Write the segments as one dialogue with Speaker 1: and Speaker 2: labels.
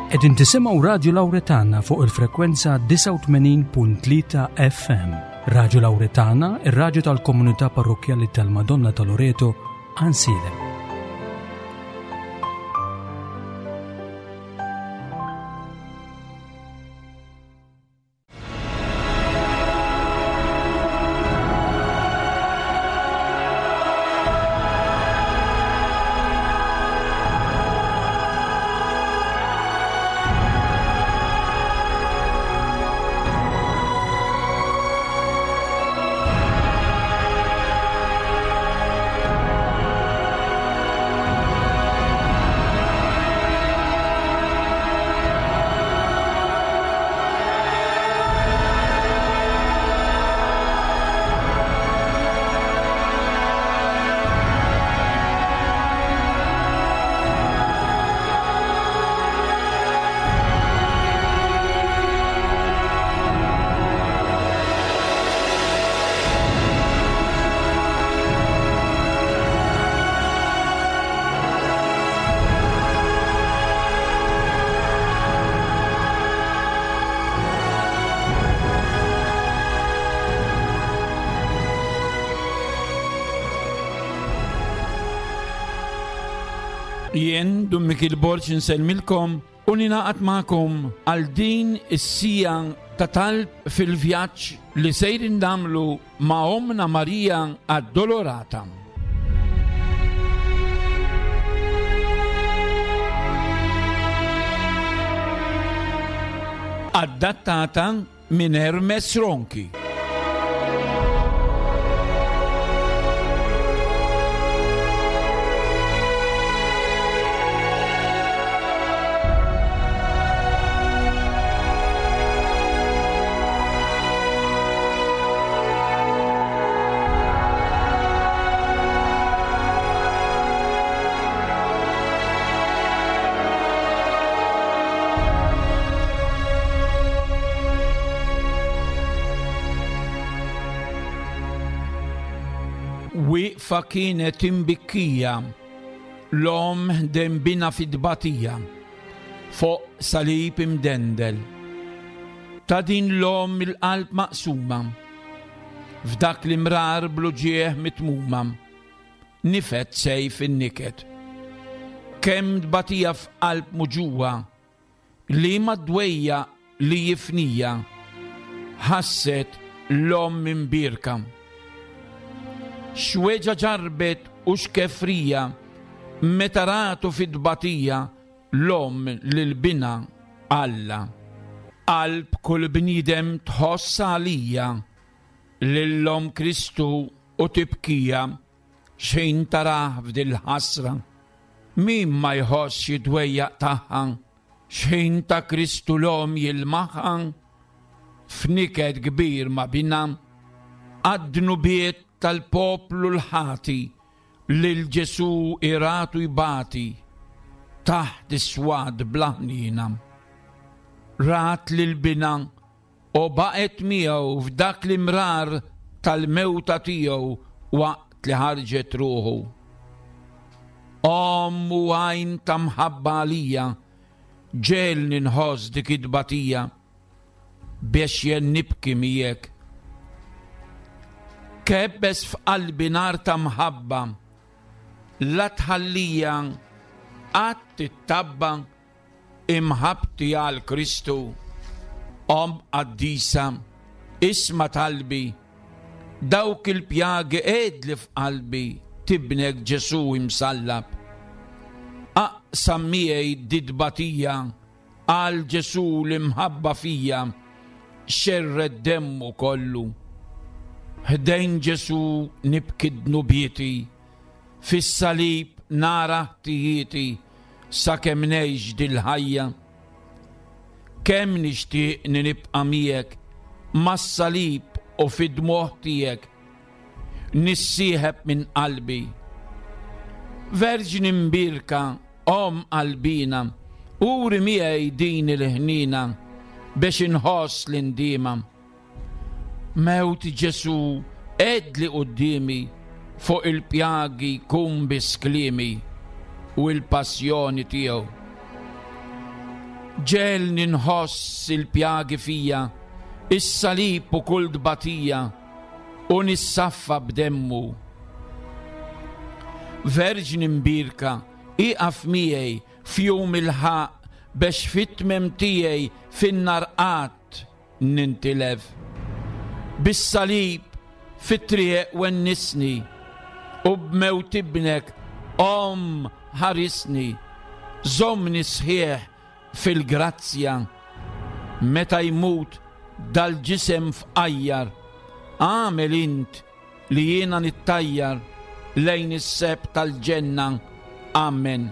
Speaker 1: Qegħdin tisimgħu Radju Lawretana fuq il-frekwenza 89.3 FM. Radju Lawretana, ir-radju tal-komunità parrokkjali tal-Madonna ta' Loreto, Ansilem.
Speaker 2: Jien Dun Mikil Borg insellmilkom u ninaqat magħkom għal din is-sija ta' talb fil-vjaġġ li sejrin nagħmlu ma' Ommna Marija Addolorata. Adattata minn Hermes Ronchi. Wieqfa kienet imbikkija l-omm ħdejn binha fit-tbatija. Fuq salib imdendel. Ta' din l-omm il-qalb maqsuma. F'dak l-imrar bl-uġigħ mitmuma. Nifed sejf in-niket. Kemm tbatija f'qalb muġugħa. Liema dwejjaq li jifnija. Ħasset l-omm imbierka. X'weġgħa ġarrbet u x'kefrija meta ratu fit-tbatija l-omm lil binha Alla. Qalb kull bniedem tħoss għalija lil omm Kristu u tibkija x'ħin tarah f'dil-ħasra. Min ma jħossx id-dwejjaq tagħha x'ħin ta' Kristu l-omm jilmaħha f'niket kbir ma' binha għad-dnubiet tal-poplu l-ħati Lil Ġesù iratu jbati taħt is-swat bla ħniena. Rat lil binha u baqgħet miegħu f'dak l-imrar tal-mewta tiegħu waqt li ħarġet ruħu. Omm u għajn ta' mħabba għalija, ġegħelni nħoss dik it-tbatija. Biex jien nibki miegħek. Kebbes f'qalbi nar ta' mħabba, la tħallija qatt tittabba imħabbti għal Kristu. Omm qaddisa, isma' talbi, dawk il-pjagi għedli f'qalbi t'Ibnek Ġesù imsallab. Aqsam miegħi dit-tbatija Għal Ġesù l-imħabba fija xerred demmu kollu. Ħdejn Ġesù nibki dnubieti, fis-salib nara ħtijieti sakemm ngħix dil-ħajja. Kemm nixtieqni nibqa' miegħek mas-salib u fid-dmugħ tiegħek nissieħeb minn qalbi. Verġni mbierka, Omm qalbina, uri miegħi din il-ħniena biex inħoss l-indiema. Mewt Ġesù għedli quddiemi fuq il-pjagi jkun biss kliemi u l-passjoni tiegħu. Ġegħelni nħoss il-pjagi fija, is-salib u kull tbatija, u nissaffa b'demmu. Verġni mbierka, ieqaf miegħi f'jum il-ħaqq bex fit-tmiem tiegħi fin-nar qatt nintilef. Bis-salib fit-triq wennisni u b'mewt ibnek Omm ħarisni, żommni sħiħ fil-grazzja. Meta jmut dal-ġisem fqajjar, agħmel int li jiena nittajjar lejn is-sebħ tal-ġenna. Amen.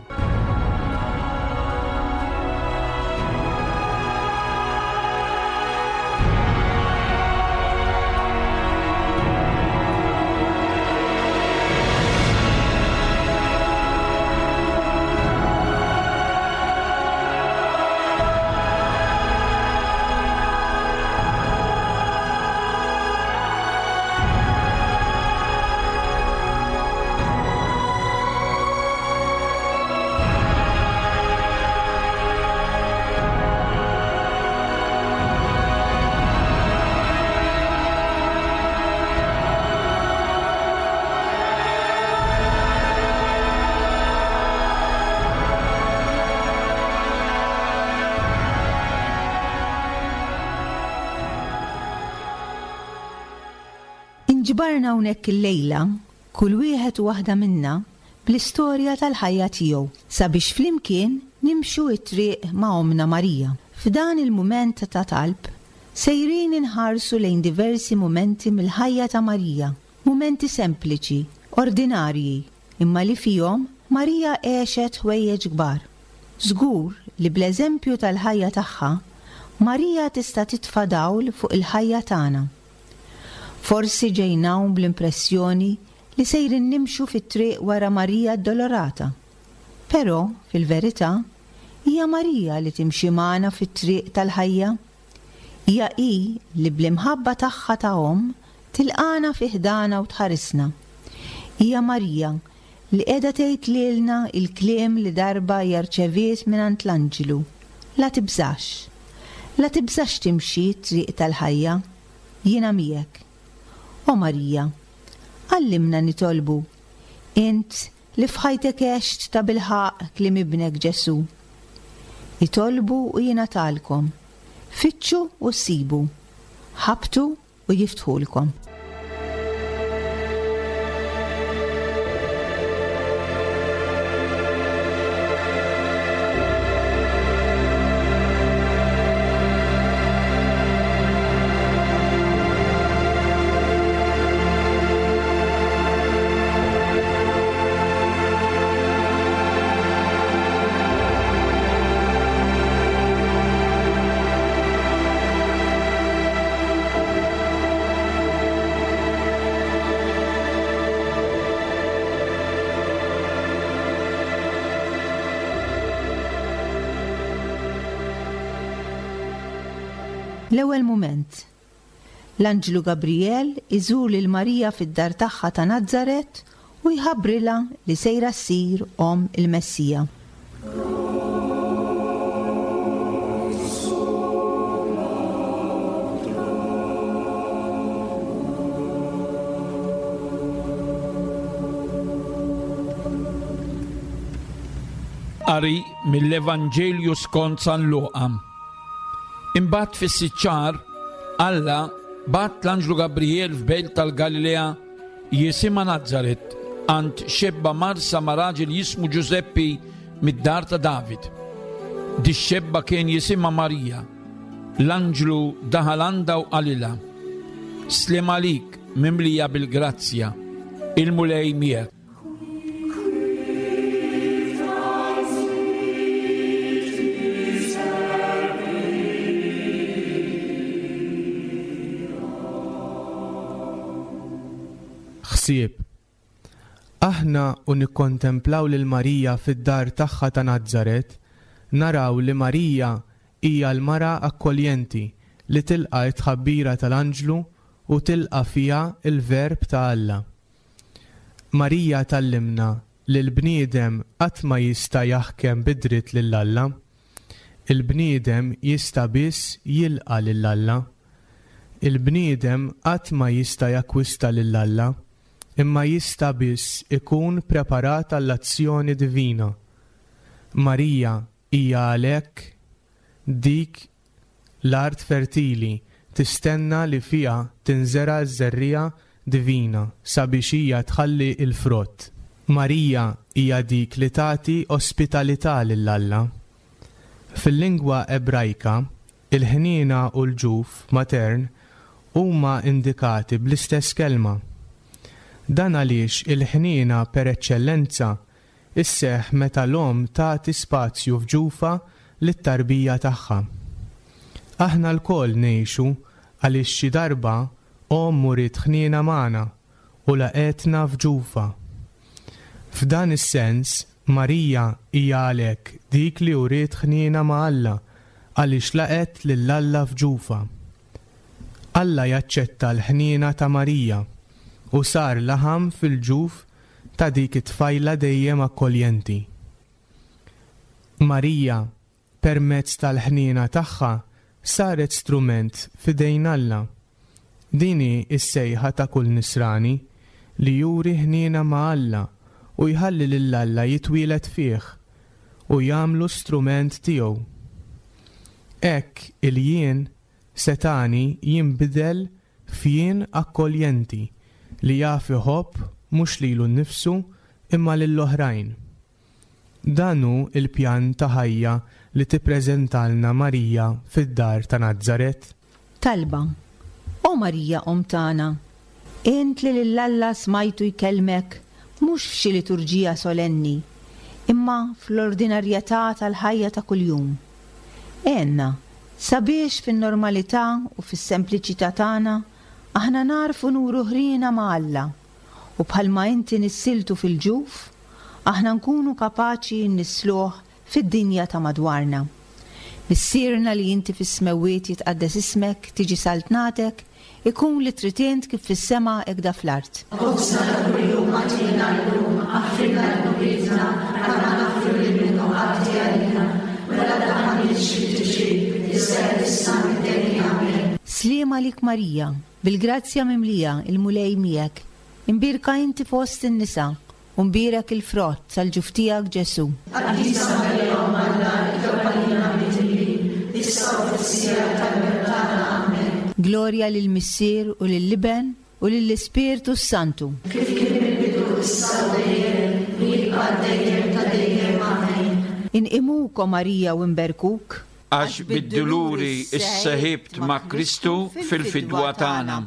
Speaker 3: Inġbarna hawnhekk illejla, kull wieħed u waħda minna, bl-istorja tal-ħajja tiegħu, sabiex flimkien nimxu t-triq ma' Ommna Marija. F'dan il-mument ta' talb, sejrin inħarsu lejn diversi mumenti mill-ħajja ta' Marija, mumenti sempliċi, ordinarji, imma li fihom Marija għexet ħwejjeġ kbar. Żgur li bl-eżempju tal-ħajja tagħha, Marija tista' titfa' dawl fuq il-ħajja tagħna. Forsi ġejna hawn bl-impressjoni li sejrin nimxu fit-triq wara Marija Addolorata. Però, fil-verità, hija Marija li timxi magħna fit-triq tal-ħajja. Hija hi li bl-imħabba tagħha ta' omm tilqagħna fi ħdanha u tħarisna. Hija Marija li qiegħda tgħid lilna l-kliem li darba hija rċeviet mingħand l-anġlu, La tibżax. La tibżax timxi t-triq tal-ħajja. Jiena miegħek. O Marija, għallimna nitolbu, int li f'ħajtek għext tabilħaqq kliem Ibnek Ġesù. Itolbu u jingħatalkom, fittxu u ssibu, ħabbtu u jiftħulkom. L-ewwel mument. L-anġlu Gabrijel iżur lil Marija fid-dar tagħha ta' Nazaret u jħabbrilha li sejra ssir omm il-Messija.
Speaker 2: Qari mill-Evanġelju skont San Luqa. Imbagħad fis-sitt xahar, Alla bagħat l-anġlu Gabriel f'belt tal-Galilea jisimha Nazaret għand xebba marsa ma' raġel jismu Ġużeppi mid-dar ta' David. Dix-xebba kien jisimha Marija. L-anġlu daħal għandha u qalilha, Sliem għalik, mimlija bil-grazzja, il-Mulej miegħek.
Speaker 4: Ħsieb, Aħna u nikkontemplaw lil Marija fid-dar tagħha ta' Nazaret, naraw li Marija hija l-mara akkoljenti li tilqa' t-tħabbira tal-anġlu u tilqa' fiha l-Verb ta' Alla. Marija tgħallimna li l-bniedem qatt ma jista' jaħkem bi dritt lil Alla. Il-bniedem jista' biss jilqa' lil Alla. Il-bniedem qatt ma jista' jakkwista lil Alla, imma jista' biss ikun preparat għall-azzjoni divina. Marija hija għalhekk dik l-art fertili tistenna li fiha tinżera' ż-żerriegħa divina sabiex hija tħalli l-frott. Marija hija dik li tagħti ospitalità lil Alla. Fil-lingwa Ebrajka, il-ħniena u l-ġuf matern huma indikati bl-istess kelma. Dan għaliex il-ħniena per eċċellenza Isseħħ meta l-omm tagħti spazju f'ġufha lit-tarbija tagħha. Aħna lkoll ngħixu għaliex xi darba omm uriet ħniena magħna u laqgħetna f'ġufha. F'dan is-sens, Marija hija għalhekk dik li uriet ħniena ma' Alla għaliex laqgħet lil Alla f'ġufha. Alla jaċċetta l-ħniena ta' Marija u sar laħam fil-ġuf ta' dik it-tfajla dejjem akkoljenti. Marija, permezz tal-ħniena tagħha, saret strument f'idejn Alla. Din hi s-sejħa ta' kull Nisrani, li juri ħniena ma' Alla u jħalli lil Alla jitwieled fih u jagħmlu strument tiegħu. Hekk il-jien setgħani jinbidel f'jien akkoljenti li jaf iħobb mhux lilu nnifsu imma lill-oħrajn. Dan hu l-pjan ta' ħajja li tippreżentalna Marija fid-dar ta' Nazaret.
Speaker 3: Talba, O Marija Omm tagħna, int li lil Alla smajtu jkellmek mhux f'xi liturġija solenni, imma fl-ordinarjetà tal-ħajja ta' kuljum. Għenna Sabiex fin-normalità u fis-sempliċità tagħna aħna nagħrfu nuru ħriena ma' Alla u bħalma inti nissiltu fil-ġuf, aħna nkunu kapaċi nnissluh fid-dinja ta' madwarna. Missierna li inti fis-smewwiet jitqaddes ismek, tiġi saltnatek, Ikun li trid int kif fis-sema hekk da fl-art.
Speaker 5: Ħobżna ta' kuljum agħtina llum, aħfrilna dnubietna bħalma naħfru lil min hu għati għalina, u la ddaħħalniex fit-tiġrib, iżda eħlisna mid-deni. Amen.
Speaker 3: Sliem għalik Marija, bil-grazzja mimlija, il-Mulej miegħek. Imbierka inti fost in-nisa, U mbierek il-frott tal-ġuf tiegħek Ġesù.
Speaker 5: Qaddisa Marija Omm Alla, itlob għalina midinbin, issa u fis-siegħa tal-mewt tagħna. Amen.
Speaker 3: Glorja lill-Missier u lill-Iben u lill-Ispirtu s-Santu.
Speaker 5: Kif kien mill-bidu, issa u dejjem, u jibqa' għal dejjem ta' dejjem. Amen.
Speaker 3: Inqimuk, O Marija, u nberkuk.
Speaker 2: Għax bid-duluri sseħibt ma' Kristu fil-fidwa tagħna.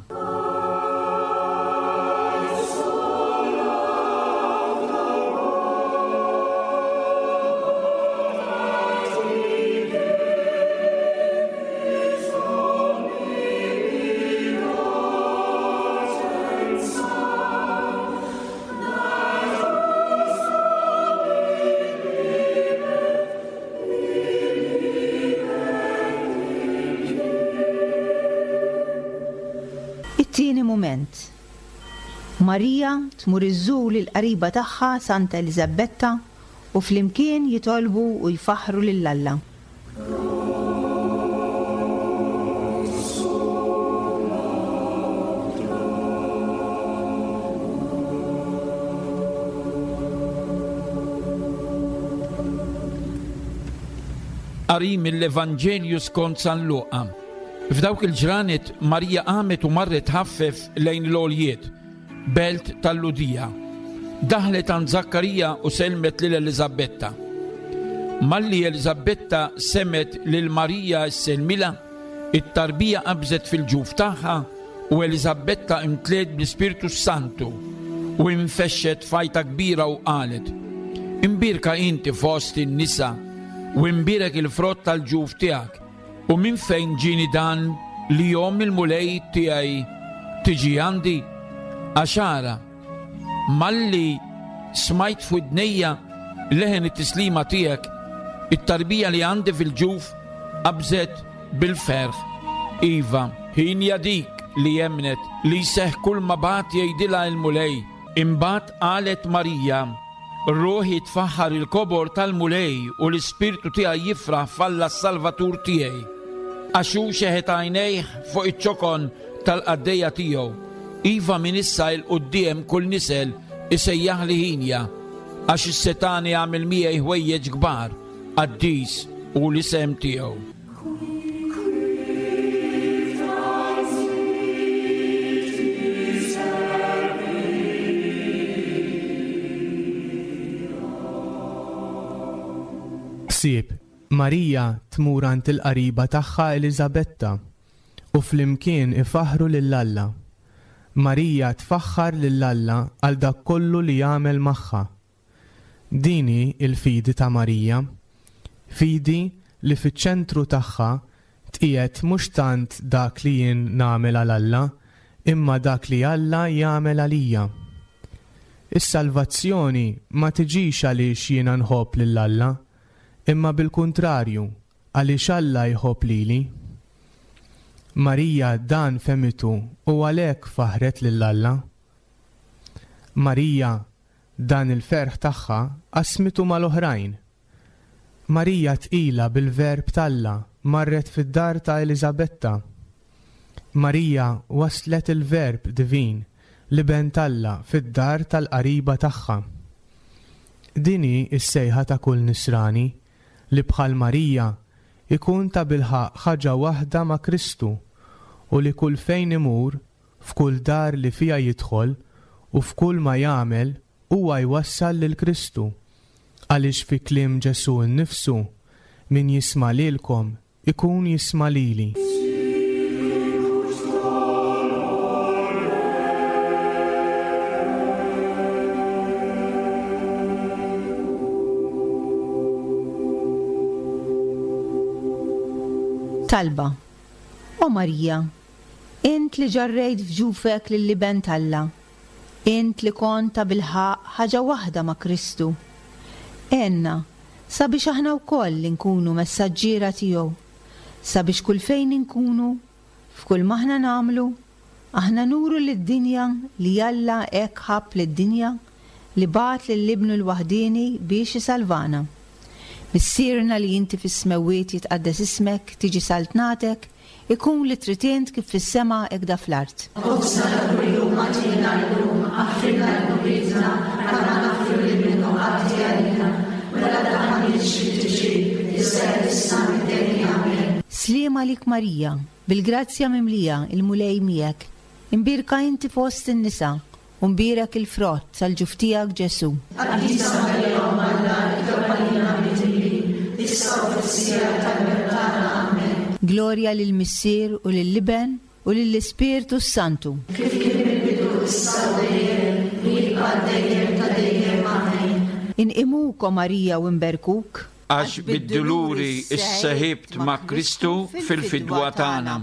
Speaker 3: It-tieni mument. Marija tmur iżżur lill-qariba tagħha Santa Eliżabetta u flimkien jitolbu u jfaħħru lil Alla.
Speaker 2: Qari mill-Evanġelju skont San Luqa. F'dawk il-ġranet Marija qamet u marret tħaffef lejn l-għoljiet, belt tal-Lhudija. Daħlet għand Żakkarija u sellmet lil Eliżabetta. Malli Eliżabetta semgħet lil Marija ssellmilha, it-tarbija qabżet fil-ġuf tagħha u Eliżabetta imtliet bl-Ispirtu s-Santu u infexxet f'għajta kbira u qalet, Imbierka inti fost in-nisa u imbierek il-frott tal-ġuf tiegħek. U minn fejn ġieni dan li omm il-Mulej tiegħi tiġi għandi? Għax ara, malli smajt f'widnejja leħen it-tislima tiegħek, it-tarbija li għandi fil-ġuf qabżet bil-ferħ. Iva, hienja dik li emmnet li jseħħ kulma bagħat jgħidilha l-Mulej. Imbagħad qalet Marija. Ruħi tfaħħar il-kobor tal-Mulej u l-ispirtu tiegħi jifraħ f'Alla s-Salvatur tiegħi. Għax hu xeħet għajnejh fuq iċ-ċokon tal-qaddejja tiegħu. Iva minn issa 'l quddiem kull nisel isejjaħli ħinja, għax is-setgħani għamel miegħi ħwejjeġ kbar, qaddis hu l-isem tiegħu.
Speaker 4: Ħsieb, Marija tmur għand il-qariba tagħha Eliżabetta u flimkien ifaħħru lil Alla. Marija tfaħħar lil Alla għal dak kollu li għamel magħha. Din hi l-fidi ta' Marija, fidi li fiċ-ċentru tagħha tqiegħed mhux tant dak li jien nagħmel għal Alla, imma dak li Alla jagħmel għalija. Is-salvazzjoni ma tiġix għaliex jiena nħobb lil Alla, imma bil-kuntrarju, għaliex Alla jħobb lili. Marija dan fehmitu u għalhekk faħħret lil Alla. Marija Dan il-ferħ tagħha qasmitu mal-oħrajn. Marija tqila bil-Verb t'Alla marret fid-dar ta' Eliżabetta. Marija wasslet il-Verb divin, l-Iben t'Alla fid-dar tal-qariba tagħha. Din hi s-sejħa ta' kull Nisrani, li bħal Marija jkun tabilħaqq ħaġa waħda ma' Kristu u li kull fejn imur F'kull dar li fiha jidħol u f'kull ma jagħmel huwa jwassal lil Kristu, għaliex fi kliem Ġesù nnifsu, Min jisma' lilkom ikun jisma' lili.
Speaker 3: Talba, O Marija, Int li ġarrejt f'ġufek lill-Iben t'Alla, int li kont tabilħaqq ħaġa waħda ma' Kristu, għenna sabiex aħna wkoll inkunu messaġġiera tiegħu, sabiex kull fejn inkunu, f'kull m'aħna nagħmlu, aħna nuru lid-dinja li Alla hekk ħabb lid-dinja li bagħat lil Ibnu l-waħdieni biex isalvana. Missierna li inti fis-smewwiet jitqaddes ismek, tiġi saltnatek, Ikun li trid int kif fis-sema hekk da fl-art.
Speaker 5: Ħobżna ta' kuljum agħtina llum, aħfrilna dnubietna bħalma naħfru lil min hu ħati għalina, u la ddaħħalniex fit-tiġrib, iżda eħlisna mid-deni. Amen.
Speaker 3: Sliem għalik Marija, bil-grazzja mimlija, il-Mulej miegħek. Imbierka inti fost in-nisa, U mbierek il-frott tal-ġuf tiegħek Ġesù.
Speaker 5: Qaddisa Marija Omm Alla, itlob għalina midinbin, issa u fis-siegħa tal-mewt tagħna. Amen.
Speaker 3: Glorja lill-Missier u lill-Iben u lill-Ispirtu s-Santu.
Speaker 5: Kif kien mill-bidu, issa u dejjem, u jibqa' għal dejjem ta' dejjem. Amen.
Speaker 3: Inqimuk, o Marija, u nberkuk.
Speaker 2: Għax bid-duluri sseħibt ma' Kristu fil-fidwa tagħna.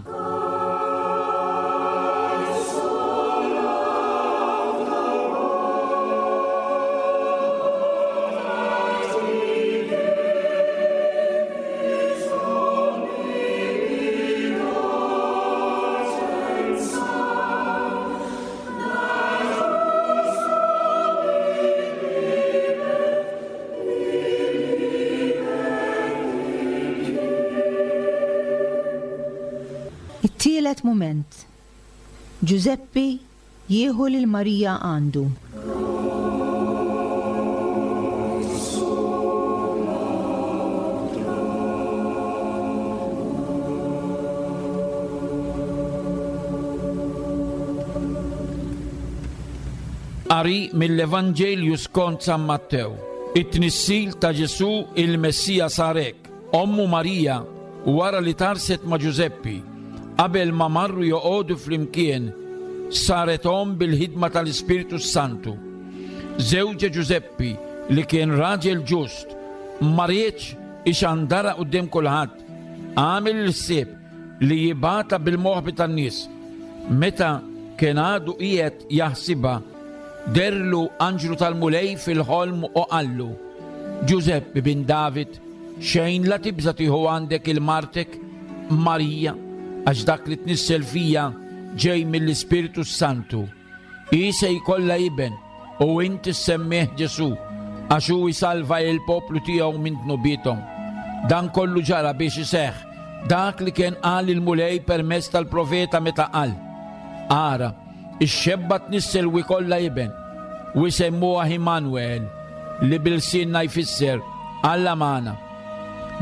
Speaker 3: It-tielet mument, Ġużeppi jieħu lil Marija għandu.
Speaker 2: Qari mill-Evanġelju skont San Mattew. It-tnissil ta' Ġesù il-Messija sar hekk. Ommu Marija, wara li tgħarrset ma' Ġużeppi, qabel ma marru joqogħdu flimkien, saret omm bil-ħidma tal-Ispirtu s-Santu. Żewġha Ġużeppi, li kien raġel ġust, ma riedx ixandarha quddiem kulħadd, għamel il-ħsieb li jibgħatha bil-moħbi tan-nies. Meta kien għadu qiegħed jaħsibha, dehrlu anġlu tal-Mulej fil-ħolm u qallu, Ġużeppi bin David, xejn la tibża' tieħu għandek il martek Marija, għax dak li tnissel fija ġej mill-Ispirtu s-Santu. Hi se jkollha iben u int issemmih Ġesù. Għax hu jsalva il-poplu tiegħu minn dnubiethom. Dan kollu ġara biex iseħħ dak li kien qal il-Mulej permezz tal-profeta meta qal. Ara, ix-xebba tnissel u jkollha iben, u jsemmuha Immanuel, li bil-lsienna jfisser Alla magħna.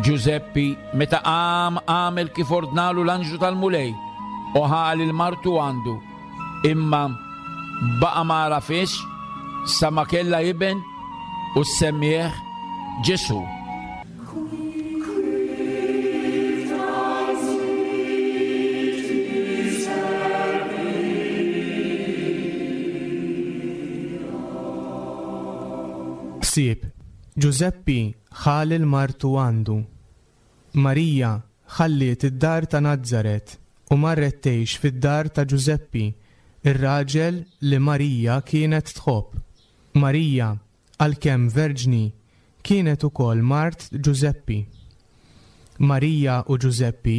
Speaker 2: Ġużeppi, meta qam għamel kif ordnalu l-anġlu tal-Mulej, u ħa lil martu għandu, imma baqa' ma għarafhiex sa ma kellha iben u ssemmieh Ġesù.
Speaker 4: Ħsieb, Ġużeppi ħa lil martu għandu. Marija ħalliet id-dar ta' Nazaret u marret tgħix fid-dar ta' Ġużeppi, ir-raġel li Marija kienet tħobb. Marija, għalkemm verġni, kienet ukoll mart Ġużeppi. Marija u Ġużeppi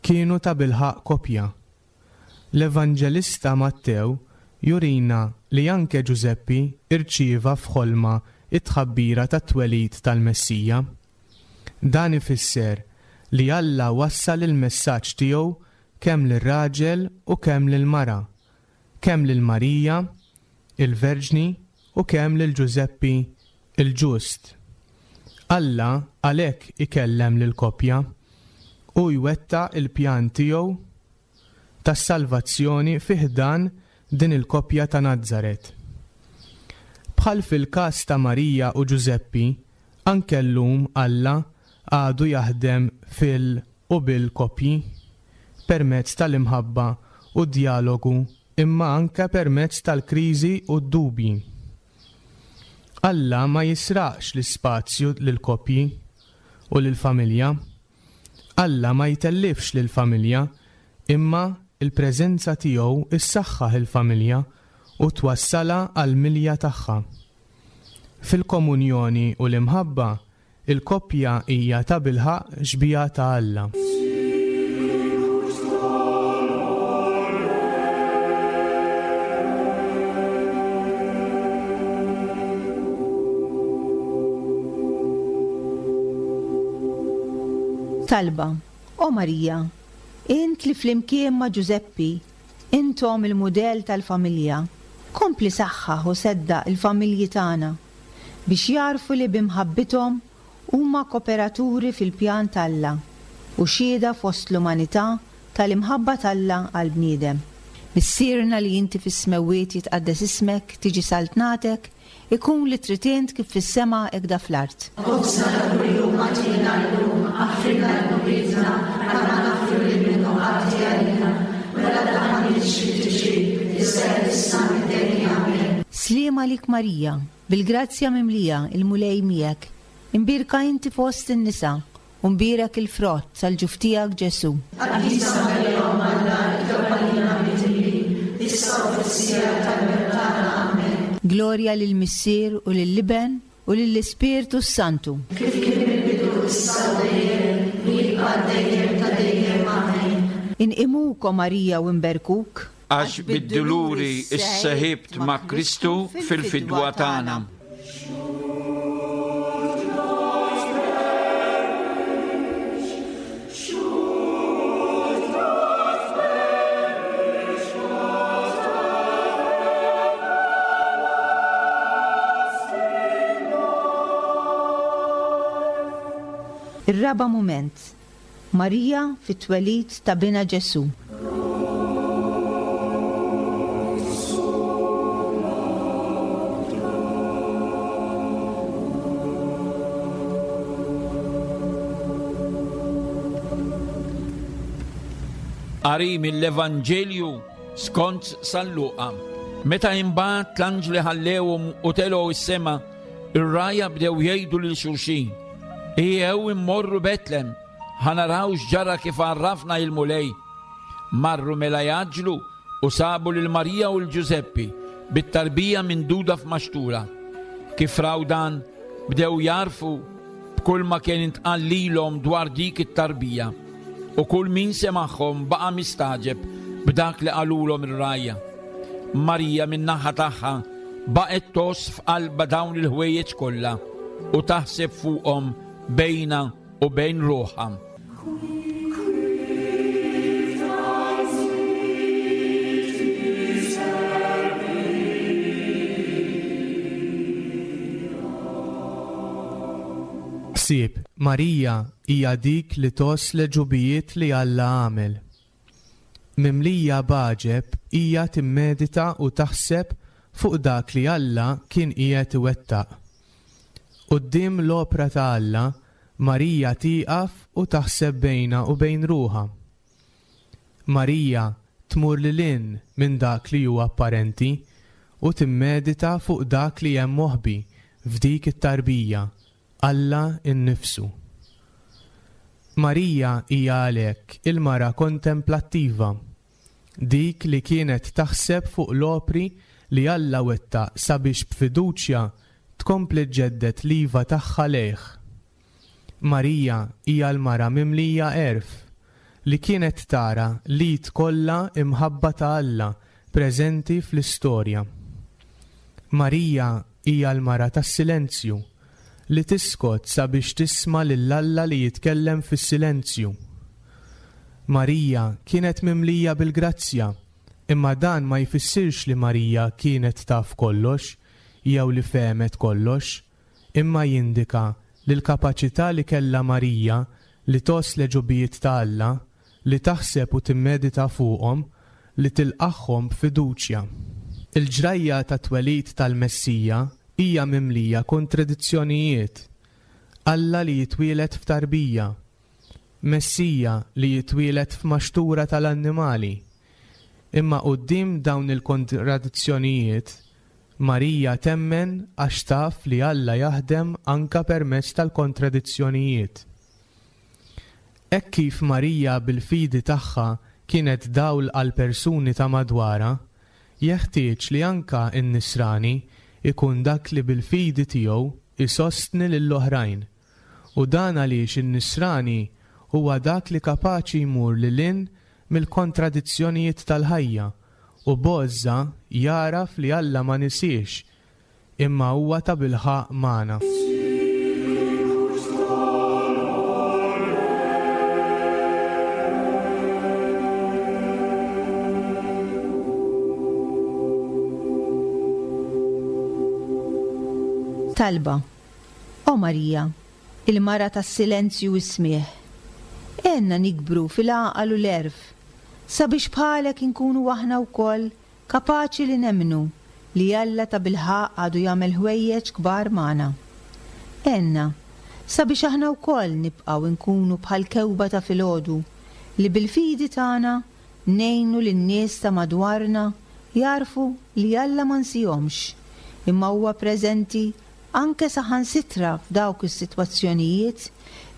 Speaker 4: kienu tabilħaqq koppja. L-Evanġelista Mattew jurina li anke Ġużeppi rċieva f'ħolma t-tħabbira tat-twelid tal-Messija. Dan ifisser li Alla wassal il-messaġġ tiegħu kemm lir-raġel u kemm lill-mara, kemm lil Marija, il-Verġni, u kemm lil Ġużeppi, il-ġust. Alla għalhekk ikellem lill-koppja. Hu jwettaq il-pjan tiegħu tas-salvazzjoni fi ħdan din il-koppja ta' Nazaret. Bħal fil-każ ta' Marija u Ġużeppi, anke llum Alla għadu jaħdem fil u bil-koppji, permezz tal-imħabba u d-djalogu imma anke permezz tal-kriżi u d-dubji. Alla ma jisraqx l-ispazju lill-koppji u lill-familja. Alla ma jtellifx lill-familja imma l-preżenza tiegħu ssaħħaħ il-familja u twassalha għall-milja tagħha. Fil-komunjoni u l-imħabba, il-koppja hija tabilħaqq xbieha ta' Alla.
Speaker 3: Talba, O Marija, int li flimkien ma' Ġużeppi intom il-mudell tal-familja, kompli saħħaħ u seddaq il-familji tagħna biex jagħrfu li bi mħabbithom huma koperaturi fil-pjan t'Alla u xhieda fost l-umanità tal-imħabba t'Alla għall-bniedem. Missierna li inti fis-smewwiet jitqaddes ismek, tiġi saltnatek, ikun li trid int kif fis-sema hekda fl-art.
Speaker 5: Ħobżna ta' kuljum agħtina llum, aħfrilna dnubietna bħalma naħfru lil min hu ħati għalina, u la tdaħħalniex fit-tiġrib, iżda eħlisna mid-deni. Amen.
Speaker 3: Sliem għalik Marija, bil-grazzja mimlija, il-Mulej miegħek. Imbierka inti fost in-nisa, u mbierek il-frott tal-ġuf tiegħek Ġesù.
Speaker 5: Qaddisa Marija Omm Alla, itlob għalina midinbin, issa u fis-siegħa tal-mewt tagħna. Amen.
Speaker 3: Glorja lill-Missier u lill-Iben u lill-Ispirtu s-Santu.
Speaker 5: Kif kien mill-bidu, issa u dejjem, u jibqa' għal dejjem ta' dejjem. Amen.
Speaker 3: Inqimuk, o Marija, u nberkuk.
Speaker 2: Għax bid-duluri sseħibt ma' Kristu fil-fidwa tagħna.
Speaker 3: Ir-raba' mument, Marija fit-twelid ta' binha Ġesù.
Speaker 2: Qari mill-Evanġelju skont San Luqa. Meta imbagħad l-anġli ħallewhom u telgħu s-sema, ir-rgħajja bdew jgħidu lil xulxin, Ejjew immorru Betlem, ħa naraw x'ġara kif għarrafna il-Mulej. Marru mela jgħaġġlu u sabu lil Marija u 'l Ġużeppi bit-tarbija minduda f'maxtura. Kif raw dan, bdew jagħrfu b'kull ma kien intqal lilhom dwar dik it-tarbija. U kull min semagħhom baqa' mistagħġeb b'dak li qalulhom ir-rgħajja. Marija min-naħa tagħha. baqgħet tgħożż f'qalbha dawn il-ħwejjeġ kollha u taħseb fuqhom bejnha u bejn ruħha.
Speaker 4: Ħsieb, Marija hija dik li tgħożż l-għeġubijiet li Alla għamel. Mimlija b'għaġeb hija timmedita u taħseb fuq dak li Alla kien qiegħed iwettaq. Quddiem l-opra ta' Alla, Marija tieqaf u taħseb bejnha u bejn ruħha. Marija tmur lil hinn minn dak li hu apparenti u timmedita fuq dak li hemm moħbi f'dik it-tarbija, Alla nnifsu. Marija hija għalhekk il-mara kontemplattiva. Dik li kienet taħseb fuq l-opri li Alla wettaq sabiex b'fiduċja tkompli ġġedded l-iva tagħha lejh. Marija hija l-mara mimlija għerf, li kienet tara l-id kollha imħabba ta' Alla preżenti fl-istorja. Marija hija l-mara tas-silenzju, li tiskot sabiex tisma' lil Alla li jitkellem fis-silenzju. Marija kienet mimlija bil-grazzja, imma dan ma jfissirx li Marija kienet taf kollox jew li fehmet kollox, imma jindika li l-kapaċità li kellha Marija li tgħożż l-għeġubijiet ta' Alla, li taħseb u timmedita fuqhom, li tilqagħhom b'fiduċja. Il-ġrajja tat-twelid tal-Messija hija mimlija kontradizzjonijiet, Alla li jitwieled f'tarbija, Messija li jitwieled f'maxtura tal-annimali. Imma quddiem dawn il-kontradizzjonijiet, Marija temmen għax taf li Alla jaħdem anke permezz tal-kontradizzjonijiet. Hekk kif Marija bil-fidi tagħha kienet dawl għall-persuni ta' madwarha, jeħtieġ li anke n-Nisrani jkun dak li bil-fidi tiegħu jsostni lill-oħrajn. U dan għaliex in-Nisrani huwa dak li kapaċi jmur lil hinn mill-kontradizzjonijiet tal-ħajja u b'għożża jagħraf li Alla ma nisiex imma huwa tabilħaqq magħna.
Speaker 3: Talba, O Marija, il-mara tas-silenzju u s-smigħ, għenna nikbru fil-għaqal u l-għerf, sabiex bħalek inkunu aħna wkoll Kapaċi li nemmnu li Alla tabilħaqq għadu jagħmel ħwejjeġ kbar magħna. Għenna, sabiex aħna wkoll nibqgħu nkunu bħal kewba ta' filgħodu li bil-fidi tagħna ngħinu lin-nies ta' madwarna jagħrfu li Alla ma nsihomx, imma huwa preżenti anke saħansitra f'dawk is-sitwazzjonijiet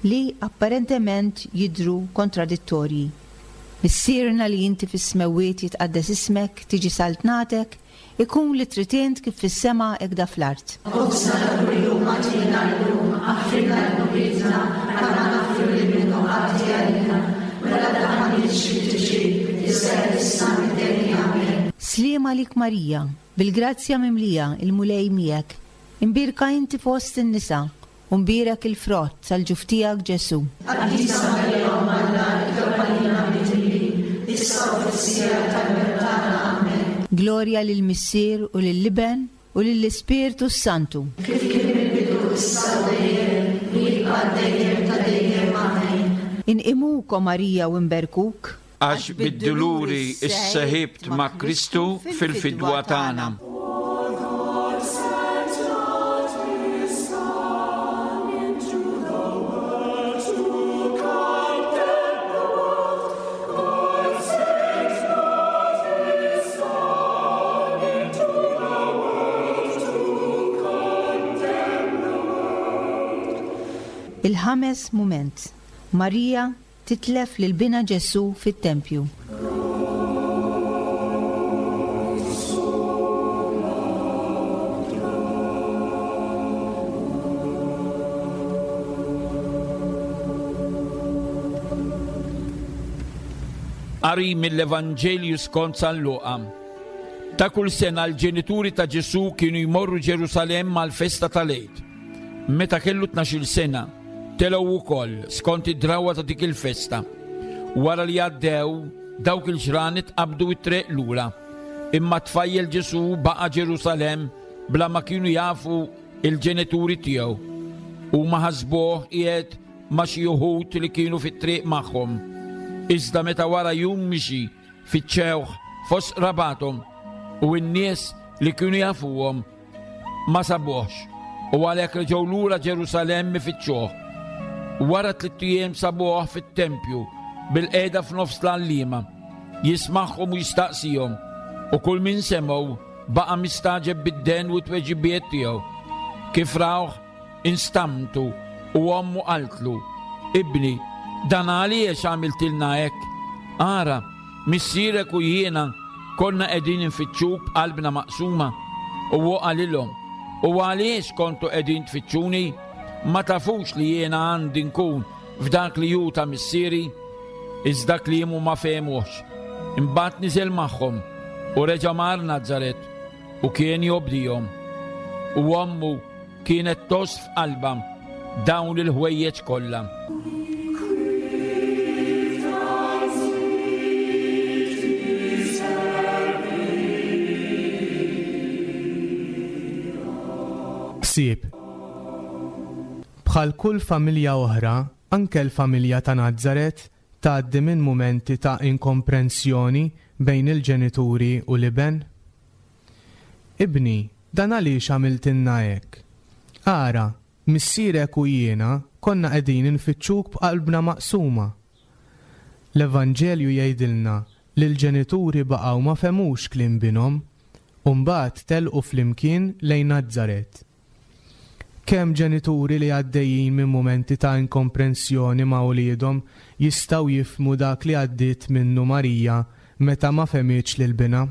Speaker 3: li apparentement jidhru kontradittorji. Missierna li inti fis-smewwiet jitqaddes ismek, tiġi saltnatek, ikun li trid int kif fis-sema hekk da fl-art.
Speaker 5: Ħobżna ta' kuljum agħtina llum, aħfrilna dnubietna bħalma naħfru lil min hu ħati għalina, u la ddaħħalniex fit-tiġrib, iżda eħlisna mid-deni. Amen.
Speaker 3: Sliem għalik Marija, bil-grazzja mimlija, il-Mulej miegħek. Imbierka inti fost in-nisa, U mbierek il-frott tal-ġuf tiegħek Ġesù.
Speaker 5: Qaddisa Marija Omm Alla, itlob għalina midinbin, issa u fis-siegħa tal-mewt tagħna. Amen.
Speaker 3: Glorja lill-Missier u lill-Iben u lill-Ispirtu s-Santu.
Speaker 5: Kif kien mill-bidu, issa u dejjem, u jibqa' għal dejjem ta' dejjem. Amen.
Speaker 3: Inqimuk, o Marija, u nberkuk.
Speaker 2: Għax bid-duluri sseħibt ma' Kristu fil-fidwa tagħna.
Speaker 3: Il-ħames mument, Marija Titlef lil binha Ġesù fit-tempju.
Speaker 2: Qari mill-Evanġelju skont San Luqa. Ta' kull sena l-ġenituri ta' Ġesù kienu jmorru Ġerusalemm għall-festa tal-Għid. Meta kellu tnax-il sena, telgħu wkoll skont id-drawwa ta' dik il-festa. Wara li għaddew dawk il-ġranet qabdu t-triq lura. Imma t-tfajjel Ġesù baqa' Ġerusalemm bla ma kienu jafu l-ġenituri tiegħu. Huma ħasbuh qiegħed ma' xi uħud li kienu fit-triq magħhom. Iżda meta wara jum mixi Fittxewh fost qrabathom u n-nies li kienu jafuhom, ma sabuhx, u għalhekk reġgħu lura Ġerusalemm ifittxuh. Wara tlitt ijiem sabuh fit-tempju, bilqiegħda f'nofs l-għalliema, jismagħhom u jistaqsihom, u kull min semgħu baqa' mistagħġeb bid-dehen u t-tweġibiet tiegħu. Kif rawh, Instamtu u ommu qaltlu, Ibni, dan għaliex għamiltilna hekk? Ara, missierek u jiena konna qegħdin infittxuk b'qalbna maqsuma. U hu qalilhom, U għaliex kontu qegħdin tfittxuni? Ma tafux li jiena għandi nkun f'dak li hu ta' missieri? Iżda kliemu ma fehmuhx. Imbagħad niżel magħhom u reġa' mar Nazaret u kien jobdihom. U ommu Kienet tgħożż f'qalbha dawn il-ħwejjeġ kollha.
Speaker 4: Ħsieb. Bħal kull familja oħra, anke l-familja ta' Nazaret tgħaddi minn mumenti ta' inkomprensjoni bejn il-ġenituri u l-iben. Ibni, dan għaliex għamiltilna hekk? Ara, missierek u jiena konna qegħdin infittxuk b'qalbna maqsuma. L-Evanġelju jgħidilna li l-ġenituri baqgħu ma fehmux kliem binhom, u mbagħad telqu flimkien lejn Nazaret. Kemm ġenituri li għaddejjin minn mumenti ta' inkomprensjoni ma' uliedhom jistgħu jifhmu dak li għaddiet minnu Marija meta ma fehmitx lil binha?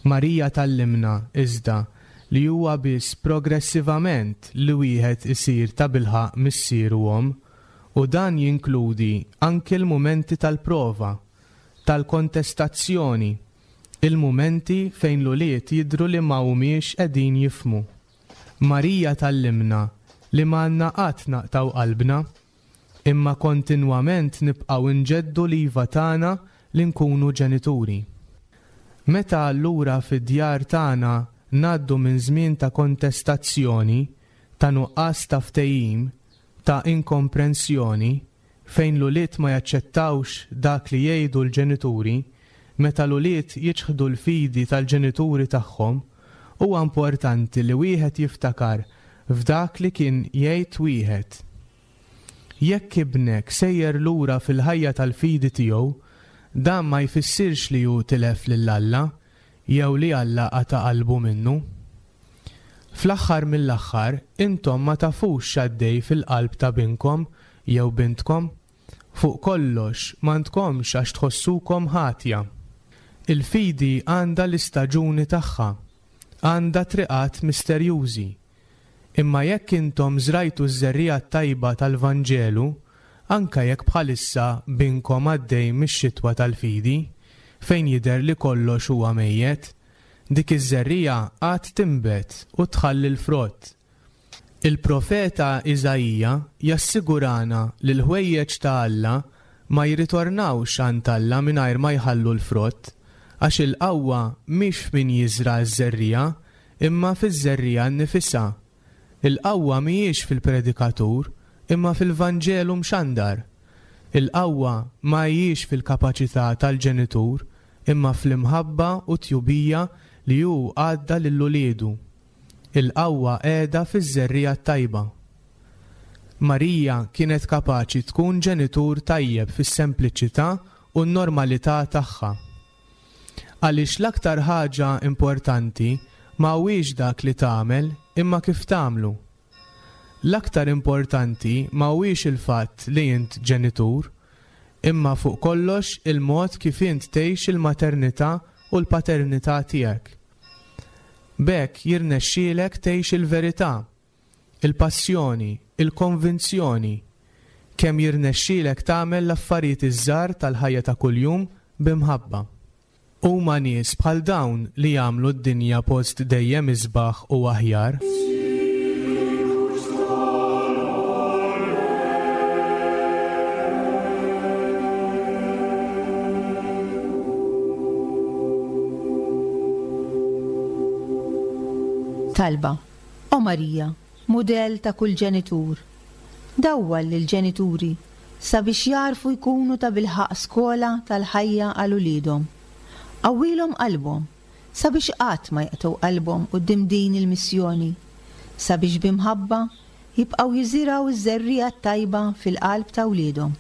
Speaker 4: Marija tgħallimna, iżda, li huwa biss progressivament li wieħed isir tabilħaqq missier u omm, u dan jinkludi anki l-mumenti tal-prova, tal-kontestazzjoni, il-mumenti fejn l-ulied jidhru li ma humiex qegħdin jifhmu. Marija tgħallimna li m'għandna qatt naqtgħu qalbna. Imma kontinwament nibqgħu nġeddu l-iva tagħna li nkunu ġenituri. Meta allura fid-djar tagħna ngħaddu minn żmien ta' kontestazzjoni, ta' nuqqas ta' ftehim, ta' inkomprensjoni, fejn l-ulied ma jaċċettawx dak li jgħidu l-ġenituri, meta l-ulied jiċħdu l-fidi tal-ġenituri tagħhom, huwa importanti li wieħed jiftakar f'dak li kien jgħid wieħed. Jekk ibnek sejjer lura fil-ħajja tal-fidi tiegħu, dan ma jfissirx li hu tilef lil Alla jew li Alla qata' qalbu minnu. Fl-aħħar mill-aħħar, intom ma tafux x'għaddej fil-qalb ta' binkom jew bintkom. Fuq kollox, m'għandkomx għax tħossukom ħatja. Il-fidi għandha l-istaġuni tagħha, għandha triqat misterjużi. Imma jekk intom żrajtu ż-żerriegħa t-tajba tal-Vanġelu, anke jekk bħalissa binkom għaddej mix-xitwa tal-fidi, fejn jidher li kollox huwa mejjet, dik iż-żerriegħa għad tinbet u tħalli l-frott. Il-profeta Iżaija jassigurana li l-ħwejjeġ ta' Alla ma jirritornawx għand Alla mingħajr ma jħallu l-frott, għax il-qawwa mhix f'min jiżra' ż-żerriegħa Imma fiż-żerriegħa nnifisha. Il-qawwa mhijiex fil-predikatur, imma fil-Vanġelu mxandar. Il-qawwa ma hijiex fil-kapaċità tal-ġenitur, imma fl-imħabba u t-tjubija li hu għadda lil uliedu. Il-qawwa qiegħda fiż-żerriegħa t-tajba. Marija kienet kapaċi tkun ġenitur tajjeb fis-sempliċità u n-normalità tagħha. Għaliex l-aktar ħaġa importanti ma huwiex dak li tagħmel imma kif tagħmlu. L-aktar importanti ma huwiex il-fatt li int ġenitur, imma fuq kollox il-mod kif int tgħix il-maternità u l-paternità tiegħek. B'hekk jirnexxielek tgħix il-verità, il-passjoni, il-konvinzjoni, kemm jirnexxielek tagħmel l-affarijiet iż-żgħar tal-ħajja ta' kuljum bi mħabba. Huma nies bħal dawn li jagħmlu d-dinja post dejjem isbaħ u aħjar.
Speaker 3: Talba, O Marija, mudell ta' kull ġenitur, dawwal lill-ġenituri sabiex jagħrfu jkunu tabilħaqq skola tal-ħajja għal uliedhom. Qawwilhom qalbhom sabiex qatt ma jaqtgħu qalbhom quddiem din il-missjoni, sabiex bi mħabba jibqgħu jiżirgħu ż-żerriegħa t-tajba fil-qalb ta' wliedhom.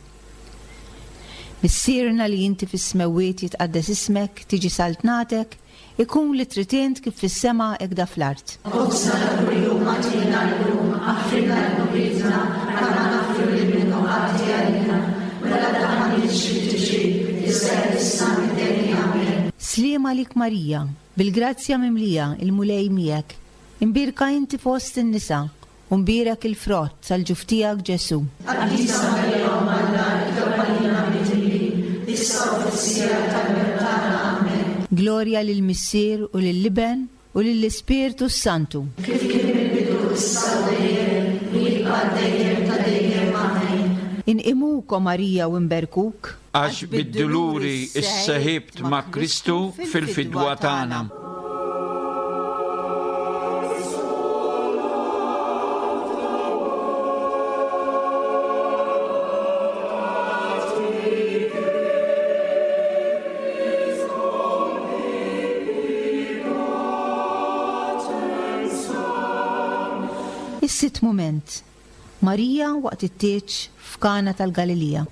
Speaker 3: Missierna li inti fis-smewwiet jitqaddes ismek, tiġi saltnatek, Ikun li trid int kif fis-sema hekk da fl-art.
Speaker 5: Ħobżna ta' kuljum agħtina llum, aħfrilna dnubietna bħalma naħfru lil min hu għaddi għalina, u la ddaħħalniex fit-tiġrib, iżda eħlisna mid-deni. Amen.
Speaker 3: Sliem għalik Marija, bil-grazzja mimlija, il-Mulej miegħek. Imbierka inti fost in-nisa, U mbierek il-frott tal-ġuf tiegħek Ġesù.
Speaker 5: Qaddisa Marija Omm Alla, itlob għalina midinbin, issa u fis-siegħa tal-mewt tagħna. Amen.
Speaker 3: Glorja lill-Missier u lill-Iben u lill-Ispirtu s-Santu.
Speaker 5: Kif kien mill-bidu, issa u dejjem, u jibqa' għal dejjem ta' dejjem. Amen.
Speaker 3: Inqimuk, o Marija, u nberkuk.
Speaker 2: Għax bid-duluri sseħibt ma' Kristu fil-fidwa tagħna.
Speaker 3: Is-sitt mument, Marija waqt it-tieġ f'Kana tal-Galilija.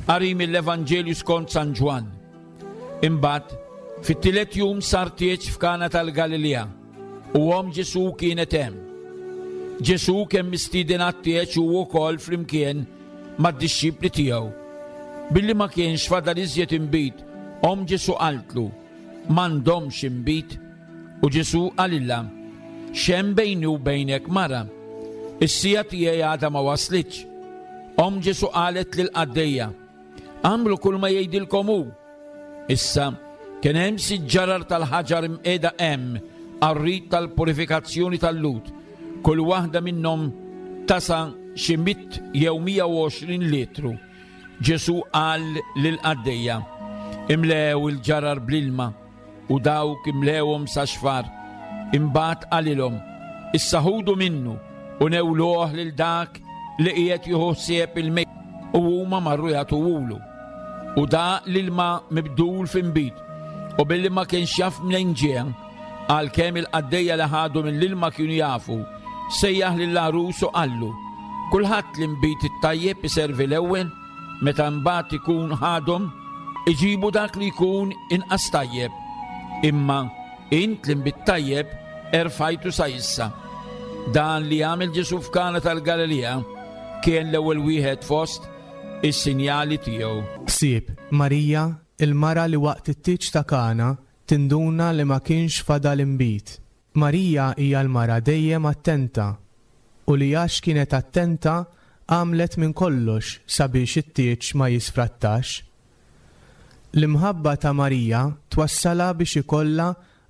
Speaker 2: Qari mill-Evanġelju skont San Ġwann. Imbagħad, fit-tielet jum sar tieġ f'Kana tal-Galilija. U omm Ġesù kienet hemm. Ġesù kien mistieden għat-tieġ hu wkoll flimkien mad-dixxipli tiegħu. Billi ma kienx fadal iżjed inbid, omm Ġesù qaltlu, M'għandhomx inbid. U Ġesù qalilha, X'hemm bejni u bejnek, mara? Is-siegħa tiegħi għadha ma waslitx. Omm Ġesù qalet lill-qaddejja, Agħmlu kull ma jgħidilkom hu. Issa, kien hemm sitt ġarar tal-ħaġar imqiegħda hemm għar-rit tal-purifikazzjoni tal-Lhud, kull waħda minnhom tasa' xi mitt jew 120 litru. Ġesù qal lill-qaddejja, Imlew il-ġarar bl-ilma. U dawk imlewhom sa xfar. Imbagħad qalilhom, Issa ħudu minnu u newluh lil dak li qiegħed jieħu ħsieb il-mejda. U huma marru jagħtuhulu. U daq l-ilma mibdul f'inbid, u billi ma kienx jaf mnejn ġie, għalkemm il-qaddejja li ħadu mill-ilma kienu jafu, sejjaħ lill-għarus u qallu, Kulħadd l-inbid it-tajjeb iservi l-ewwel, Meta mbagħad ikun ħadhom, iġibu dak li jkun inqas tajjeb. Imma int l-inbid tajjeb erfajtu sa issa. Dan li għamel Ġesù f'Kana tal-Galilija kien l-ewwel wieħed fost is-sinjali tiegħu.
Speaker 4: Ħsieb, Marija, il-mara li waqt it-tieġ ta' Kana tinduna li ma kienx fadal inbid. Marija hija l-mara dejjem attenta u li għax kienet attenta għamlet minn kollox sabiex it-tieġ ma jisfrattax. L-imħabba ta' Marija twassalha biex ikollha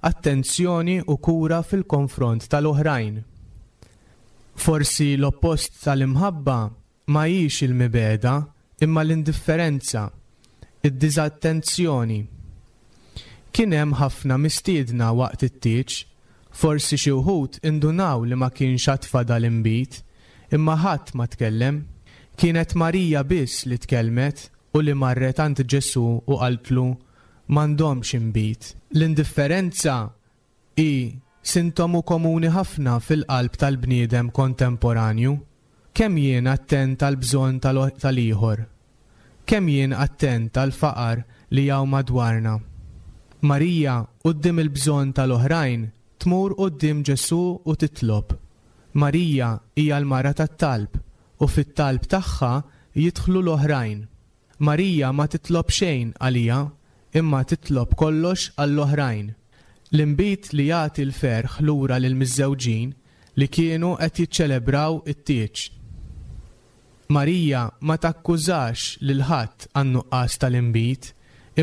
Speaker 4: attenzjoni u kura fil-konfront tal-oħrajn. Forsi l-oppost tal-imħabba Ma hix il-mibegħda, imma l-indifferenza, id-diżattenzjoni. Kien hemm ħafna mistiedna waqt it-tieġ, forsi xi wħud indunaw li ma kienx għad fadal inbid, imma ħadd ma tkellem. Kienet Marija biss li tkellmet u li marret għand Ġesù u qaltlu, M'għandhomx inbid. L-indifferenza Hi sintomu komuni ħafna fil-qalb tal-bniedem kontemporanju. Kemm jien attent għall-bżonn tal-ieħor? Kemm jien attent għall-faqar li hawn madwarna? Marija, quddiem il-bżonn tal-oħrajn, tmur quddiem Ġesù u titlob. Marija hija l-mara tat-talb u fit-talb tagħha jidħlu l-oħrajn. Marija ma titlob xejn għaliha, imma titlob kollox għall-oħrajn. L-inbid li jagħti l-ferħ lura lill-miżżewġin li kienu qed jiċċelebraw it-tieġ. Marija ma takkużax lil ħadd għan-nuqqas tal-inbid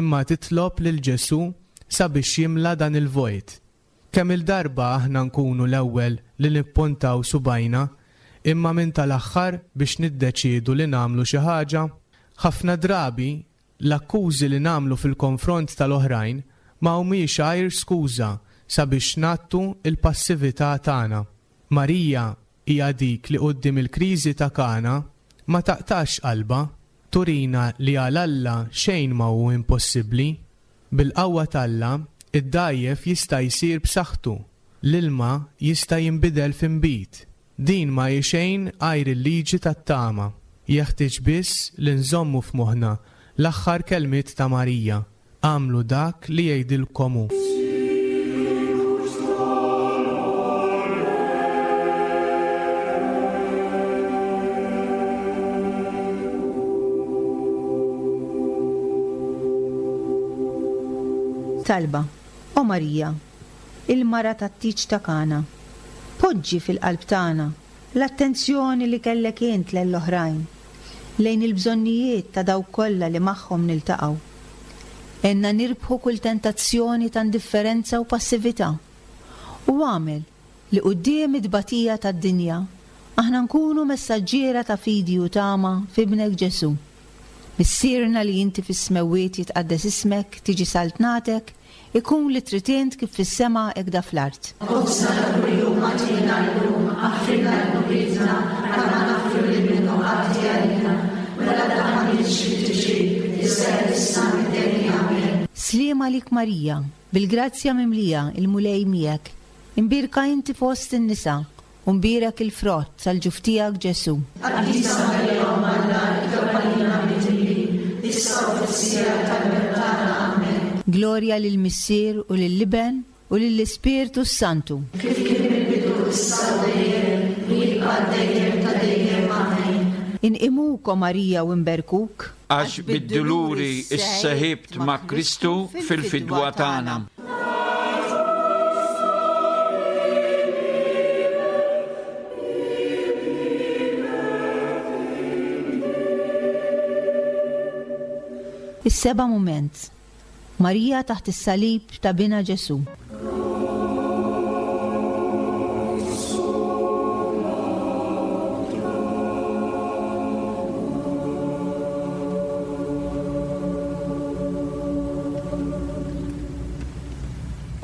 Speaker 4: imma titlob lil Ġesù sabiex jimla dan il-vojt. Kemm-il darba aħna nkunu l-ewwel li nippontaw subgħajna imma minn tal-aħħar biex niddeċiedu li nagħmlu xi ħaġa? Ħafna drabi, l-akkużi li nagħmlu fil-konfront tal-oħrajn ma humiex għajr skuża sabiex ngħattu l-passività tagħna. Marija hija dik li quddiem il-kriżi ta' Kana ma taqtax qalbha, turina li għal Alla xejn ma hu impossibbli. Bil-qawwa t'Alla, id-dgħajjef jista' jsir b'saħħtu, l-ilma jista' jinbidel f'inbid. Din ma hi xejn għajr il-liġi tat-tama. Jeħtieġ biss li nżommu f'moħħna l-aħħar kelmiet ta' Marija, Agħmlu dak li jgħidilkom hu.
Speaker 3: Talba, O Marija, il-mara tat-tieġ ta' Kana, poġġi fil-qalb tagħna l-attenzjoni li kellek int lejn l-oħrajn, lejn il-bżonnijiet ta' dawk kollha li magħhom niltaqgħu. Għinna nirbħu kull tentazzjoni ta' indifferenza u passività, u agħmel li quddiem it-tbatija tad-dinja aħna nkunu messaġġiera ta' fidi u tama f'Ibnek Ġesù. Missierna li inti fis-smewwiet jitqaddes ismek, tiġi saltnatek, ikun li trid int kif fis-sema hekk da fl-art.
Speaker 5: Ħobżna ta' kuljum agħtina llum, aħfrilna dnubietna bħalma naħfru lil min hu għaddi għalina, u la tdaħħalniex fit-tiġrib, iżda eħlisna mid-deni. Amen.
Speaker 3: Sliem għalik Marija, bil-grazzja mimlija, il-Mulej miegħek. Imbierka inti fost in-nisa, u mbierek il-frott tal-ġuf tiegħek Ġesù.
Speaker 5: Qaddisa Marija Omm Alla, itlob għalina midinbin, issa u fis-siegħa tal-mewt tagħna. Amen.
Speaker 3: Glorja lill-Missier u lill-Iben u lill-Ispirtu s-Santu.
Speaker 5: Kif kien mill-bidu, issa u dejjem, u jibqa' għal dejjem ta' dejjem. Amen.
Speaker 3: Inqimuk, o Marija, u nberkuk.
Speaker 2: Għax bid-duluri sseħibt ma' Kristu fil-fidwa tagħna.
Speaker 3: Is-seba' mument, Marija taħt is-salib ta' Binha Ġesù.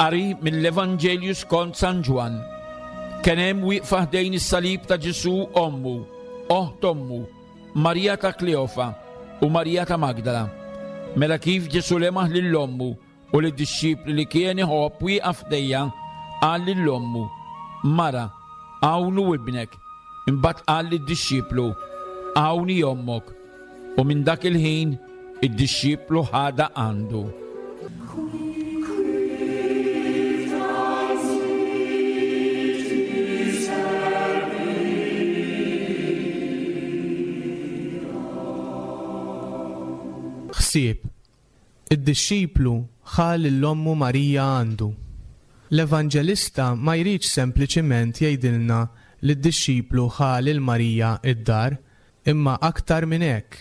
Speaker 2: Qari mill-Evanġelju skont San Ġwann. Kien hemm wieqfa ħdejn is-salib ta' Ġesù ommu, oħt ommu, Marija ta' Kleofa u Marija ta' Magdala. Mela kif Ġesù lemaħ lil ommu u lid-dixxipli li kien iħobb wieqaf ħdejha, qal lil ommu, Mara, hawn hu ibnek. Imbagħad qal lid-dixxiplu, Hawn hi ommok. U minn dak il-ħin id-dixxiplu ħadha għandu.
Speaker 4: Ħsieb, Id-dixxiplu ħa lil ommu Marija għandu. L-Evanġelista ma jridx sempliċiment jgħidilna li d-dixxiplu ħa lil Marija d-dar, imma aktar minn hekk,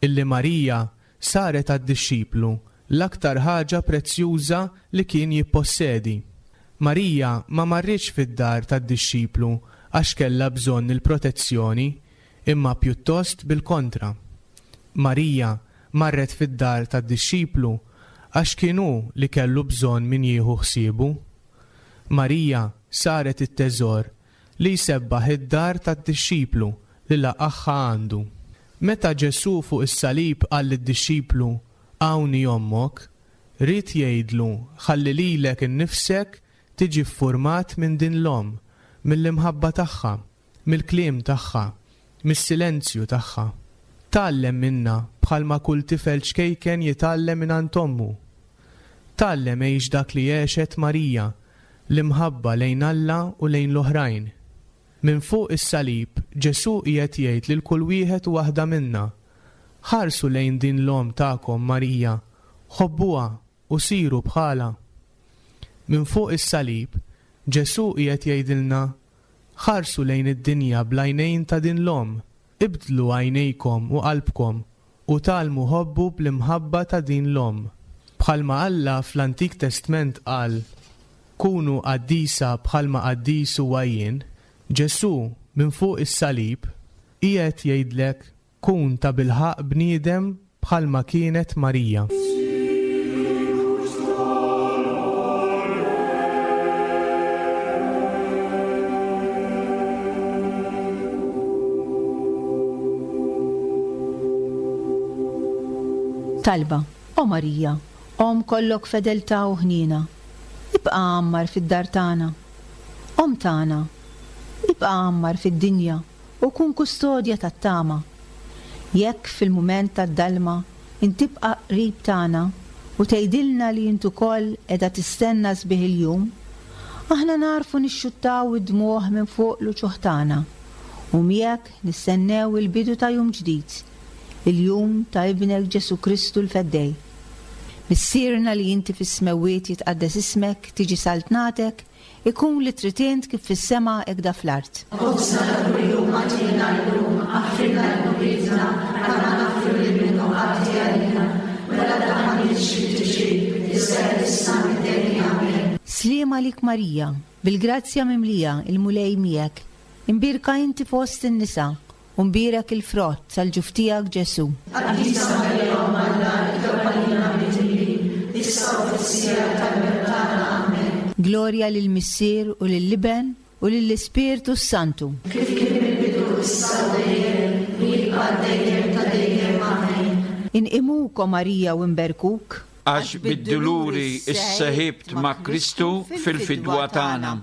Speaker 4: illi Marija saret għad-dixxiplu l-aktar ħaġa prezzjuża li kien jippossedi. Marija ma marritx fid-dar tad-dixxiplu għax kellha bżonn il-protezzjoni, imma pjuttost bil-kontra. Marija marret fid-dar tad-dixxiplu għax kien hu li kellu bżonn min jieħu ħsiebu. Marija saret it-teżor li jsebbaħ id-dar tad-dixxiplu li laqagħha għandu. Meta Ġesù fuq is-salib qal lid-dixxiplu Hawn hi ommok, ried jgħidlu ħalli lilek innifsek tiġi ffurmat minn din l-omm, mill-imħabba tagħha, mill-kliem tagħha, mis-silenzju tagħha. Tgħallem minnha bħalma kull tifel ċkejken jitgħallem mingħand ommu. Tgħallem għix dak li għexet Marija, l-imħabba lejn Alla u lejn l-oħrajn. Minn fuq is-salib, Ġesù qiegħed jgħid lil kull wieħed u waħda minna, Ħarsu lejn din l-omm tagħkom Marija, ħobbuha u siru bħalha. Minn fuq is-salib, Ġesù qiegħed jgħidilna, Ħarsu lejn id-dinja bl-għajnejn ta' din l-omm, ibdlu għajnejkom u qalbkom u tgħallmu ħobbu bl-imħabba ta' din l-omm. Bħalma Alla fl-Antik Testment qal, Kunu qaddisa bħalma qaddis huwa jien, Ġesù minn fuq is-salib qiegħed jgħidlek kun tabilħaqq bniedem bħalma kienet Marija.
Speaker 3: Talba, O Marija, Omm kollok fedeltà u ħniena, ibqa' għammar fid-dar tagħna. Omm tagħna, ibqa' għammar fid-dinja u kun kustodja tat-tama. Jekk fil-mument tad-dalma int tibqa' qrib tagħna u tgħidilna li int ukoll qiegħda tistenna sbieħ il-jum, aħna nagħrfu nixxuttaw id-dmugħ minn fuq l-uċuħ tagħna u miegħek nistennew il-bidu ta' jum ġdid, il-jum ta' Ibnek Ġesù Kristu l-Feddej. Missierna li inti fis-smewwiet jitqaddes ismek, tiġi saltnatek, Ikun li trid int kif fis-sema hekda fl-art.
Speaker 5: Ħobżna ta' kuljum agħtina llum, aħfrilna dnubietna bħalma naħfru lil min hu għati għalina, u la tdaħħalniex fit-tiġrib, iżda eħlisna mid-deni. Amen.
Speaker 3: Sliem għalik Marija, bil-grazzja mimlija, il-Mulej miegħek. Imbierka inti fost in-nisa, U mbierek il-frott tal-ġuf tiegħek Ġesù.
Speaker 5: Qaddisa Marija Omm Alla, itlob għalina midinbin, issa u fis-siegħa tal-mewt tagħna. Amen.
Speaker 3: Glorja lill-Missier u lill-Iben u lill-Ispirtu s-Santu.
Speaker 5: Kif kien mill-bidu, issa u dejjem, u jibqa' għal dejjem ta' dejjem. Amen.
Speaker 3: Inqimuk, o Marija, u nberkuk.
Speaker 2: Għax bid-duluri sseħibt ma' Kristu fil-fidwa tagħna.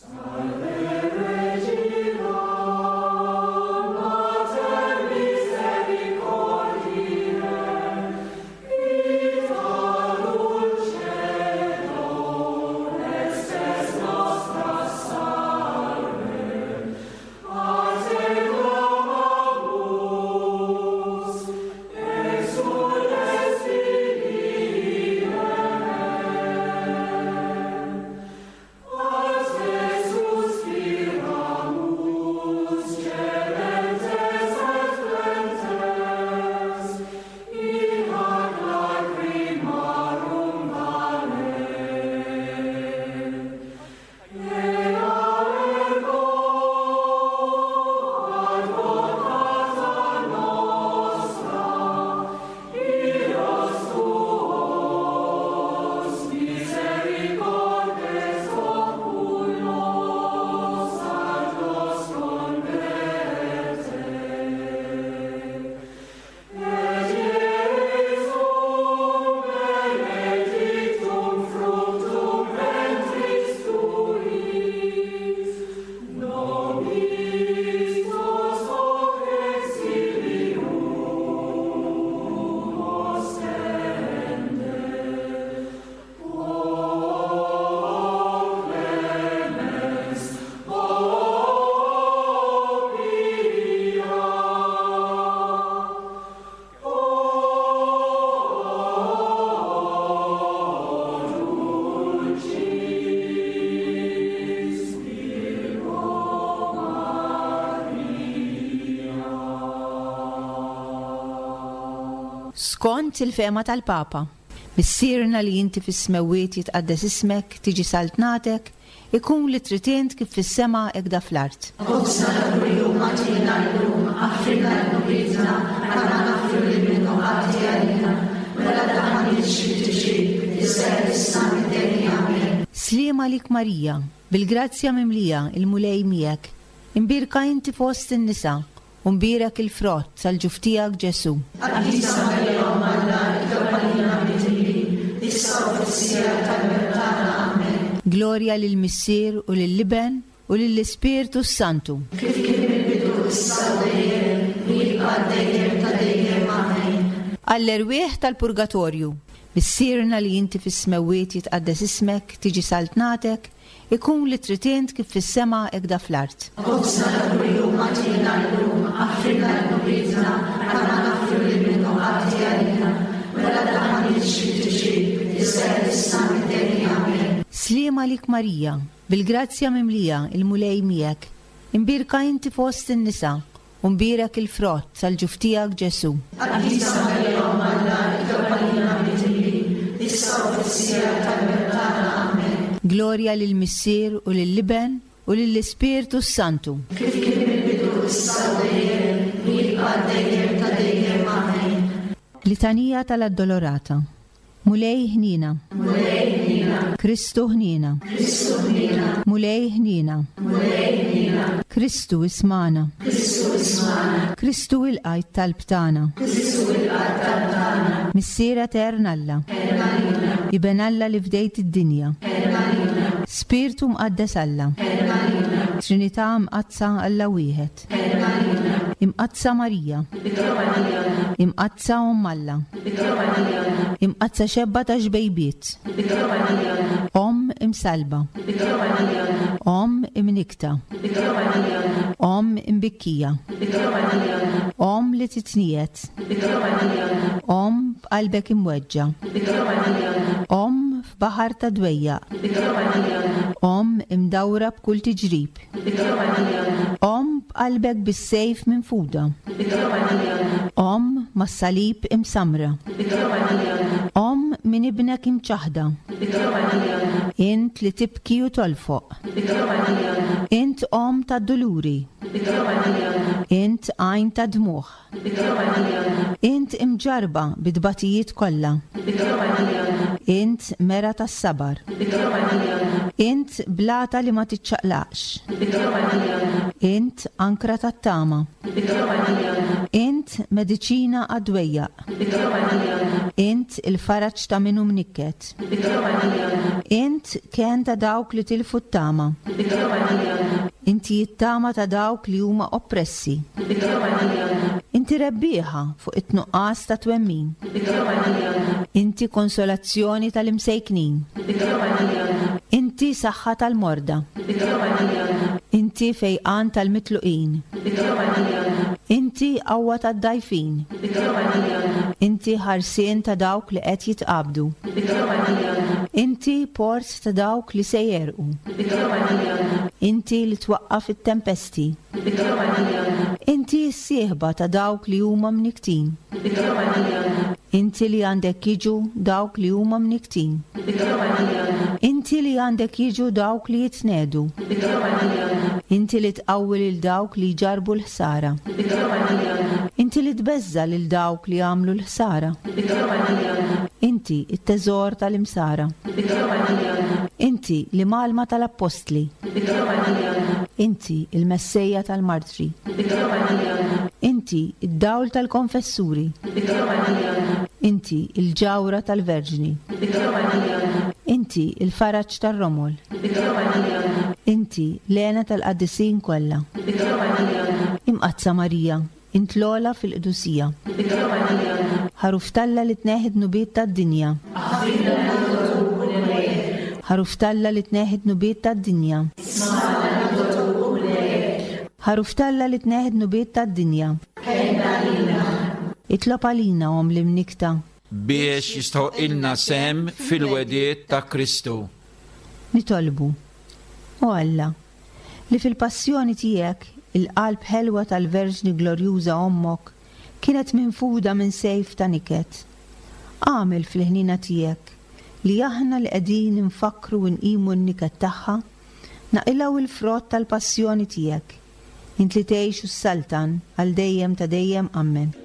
Speaker 3: Skont il-fehma tal-Papa, Missierna li inti fis-smewwiet jitqaddes ismek, tiġi saltnatek, ikun li trid int kif fis-sema hekda fl-art.
Speaker 5: Ħobżna ta' kuljum agħtina llum, aħfrilna dnubietna bħalma naħfru lil min hu għati għalina, u la tdaħħalniex fit-tiġrib, iżda eħlisna mid-deni. Amen.
Speaker 3: Sliem għalik Marija, bil-grazzja mimlija, il-Mulej miegħek. Imbierka inti fost in-nisa, u mbierek il-frott tal-ġuf tiegħek Ġesù.
Speaker 5: Qaddisa Marija Omm Alla, itlob għalina midinbin, issa u fis-siegħa tal-mewt tagħna. Amen.
Speaker 3: Glorja lill-Missier u lill-Iben u lill-Ispirtu s-Santu.
Speaker 5: Kif kien mill-bidu, issa u dejjem, u jibqa' għal dejjem ta' dejjem. Amen.
Speaker 3: Għall-erwieħ tal-purgatorju. Missierna li inti fis-smewwiet jitqaddes ismek, tiġi saltnatek, Ikun li trid int kif fis-sema hekda fl-art.
Speaker 5: Ħobżna ta' kuljum agħtina llum, aħfrilna dnubietna bħalma naħfru lil min hu għati għalina, u la tdaħħalniex fit-tiġrib, iżda eħlisna mid-deni. Amen.
Speaker 3: Sliem għalik. għalik Marija, bil-grazzja mimlija, il-Mulej miegħek. Imbierka inti fost in-nisa, u mbierek il-frott tal-ġuf tiegħek Ġesù.
Speaker 5: Qaddisa Marija Omm Alla, itlob għalina midinbin, issa u fis-siegħa tal-mewt tagħna. Amen.
Speaker 3: Glorja lill-Missier u lill-Iben u lill-Ispirtu s-Santu.
Speaker 5: Kif kien mill-bidu, issa u dejjem, u jibqa' għal dejjem ta' dejjem. Amen.
Speaker 3: Litanija tal-Addolorata. Mulej ħniena.
Speaker 5: Mulej ħniena.
Speaker 3: Kristu ħniena.
Speaker 5: Kristu ħniena.
Speaker 3: Mulej ħniena.
Speaker 5: Mulej ħniena.
Speaker 3: Kristu ismagħna.
Speaker 5: Kristu ismagħna.
Speaker 3: Kristu ilqa' t-talb tagħna.
Speaker 5: Kristu ilqa' t-talb tagħna.
Speaker 3: Missier etern Alla.
Speaker 5: Ħenn għalina.
Speaker 3: Iben Alla li fdejt id-dinja.
Speaker 5: Ħenn għalina.
Speaker 3: Spirtu Mqaddes Alla.
Speaker 5: Ħenn għalina.
Speaker 3: Trinità Mqaddsa Alla wieħed.
Speaker 5: Ħenn għalina.
Speaker 3: Imqaddsa Marija.
Speaker 5: Itlob għalina.
Speaker 3: Imqaddsa Omm Alla.
Speaker 5: Itlob għalina.
Speaker 3: Imqaddsa xebba ta' xbejbiet.
Speaker 5: Itlob għalina.
Speaker 3: Omm imsallba.
Speaker 5: Itlob għalina.
Speaker 3: Omm imnikkta.
Speaker 5: Itlob għalina.
Speaker 3: Omm imbikkija.
Speaker 5: Itlob għalina.
Speaker 3: Omm li titniegħed.
Speaker 5: Itlob għalina.
Speaker 3: Omm b'qalbek imweġġa'.
Speaker 5: Itlob għalina.
Speaker 3: Omm f'baħar ta' dwejjaq.
Speaker 5: Itlob għalina.
Speaker 3: Omm imdawra b'kull tiġrib. Omm b'qalbek bis-sejf minfuda. Omm mas-salib imsammra. Omm minn ibnek imċaħħda. Int li tibki u tolfoq. Int omm tad-duluri. Int għajn tad-dmugħ. Int imġarrba bit-tbatijiet kollha. Int mera tas-sabar. Int blata li ma tiċċaqlaqx. Int ankra tat-tama. Int mediċina għad-dwejjaq. Int il-faraġ ta' min hu mnikket. Int kenn ta' dawk li tilfu t-tama. Inti t-tama ta' dawk li huma oppressi. Inti rebbieħa fuq it-tnuqqas ta' twemmin. Inti konsolazzjoni tal-imsejknin. Inti saħħa tal-morda. Inti fejqan tal-mitluqin. Inti qawwa tad-dgħajfin. Inti ħarsien ta' dawk li qed jitqabdu. Inti port ta' dawk li se jegħrqu. Inti li twaqqaf it-tempesti. Inti s-sieħba ta' dawk li huma mnikktin. Inti li għandek jiġu dawk li huma mnikktin. Inti li għandek jiġu dawk li jitniegħdu. Inti li tqawwi lil dawk li jġarrbu l-ħsara. Inti li tbeżża' lil dawk li jagħmlu l-ħsara. Inti t-teżor tal-imsara. Inti l-imgħallma tal-appostli. Inti l-messejja tal-martri. Inti d-dawl tal-konfessuri. Inti l-ġawhra tal-verġni. Inti l-faraġ tar-romol. Inti l-hena tal-qaddisin kollha. Imqaddsa Marija, Int l-ogħla fil-qdusija. Ħaruf t'Alla li tneħħi d-dnubiet tad-dinja. Ħaruf t'Alla li tneħħi d-dnubiet tad-dinja. Ħaruf t'Alla li tneħħi d-dnubiet tad-dinja. Itlob għalina, Omm l-Imnikkta.
Speaker 2: Biex jistħoqqilna sehem fil-wegħdiet ta' Kristu.
Speaker 3: Nitolbu. O Alla, li fil-passjoni tiegħek il-qalb ħelwa tal-Verġni Glorjuża Ommok kienet minfuda minn sejf ta' niket. Agħmel fil-ħniena tiegħek li aħna li qegħdin infakkru u nqimu n-niket tagħha, naqilgħu l-frott tal-passjoni tiegħek, int li tgħix u ssaltan għal dejjem ta' dejjem. Ammen.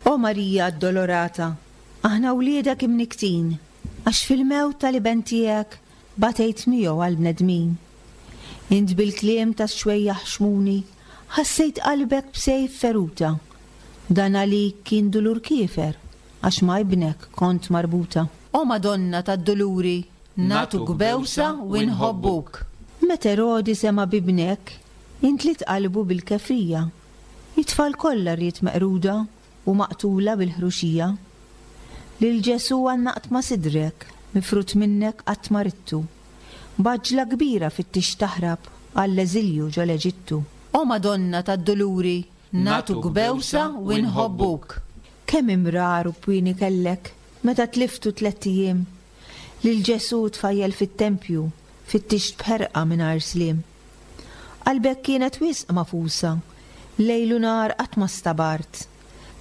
Speaker 3: O Marija Addolorata, aħna wliedek imnikktin, għax fil-mewt tal-Iben tiegħek batejt miegħu għall-bnedmin. Int bil-kliem tax-xwejjaħ Xmuni ħassejt qalbek b'sejf feruta. Dan għalik kien dulur kiefer. għax ma' Ibnek kont marbuta. O Madonna tad-Duluri, nagħtuk bewsa u nħobbuk. Meta Erodi sema' b'Ibnek, intliet qalbu bil-kefrija. It-tfal kollha ried meqruda u maqtula bil-ħruxija. Lil Ġesù għannaqt ma' sidrek, mifrud minnek qatt ma ridtu. B'għaġġla kbira fittixt taħrab għall-eżilju ġol-Eġittu. O Madonna tad-Duluri, nagħtuk bewsa u nħobbuk. Kemm imrar u pwieni kellek meta tliftu tlett ijiem. Lil Ġesù tfajjel fit-tempju fittixt b'ħerqa mingħajr sliem. Qalbek kienet wisq magħfusa, lejl u nhar qatt ma stabart.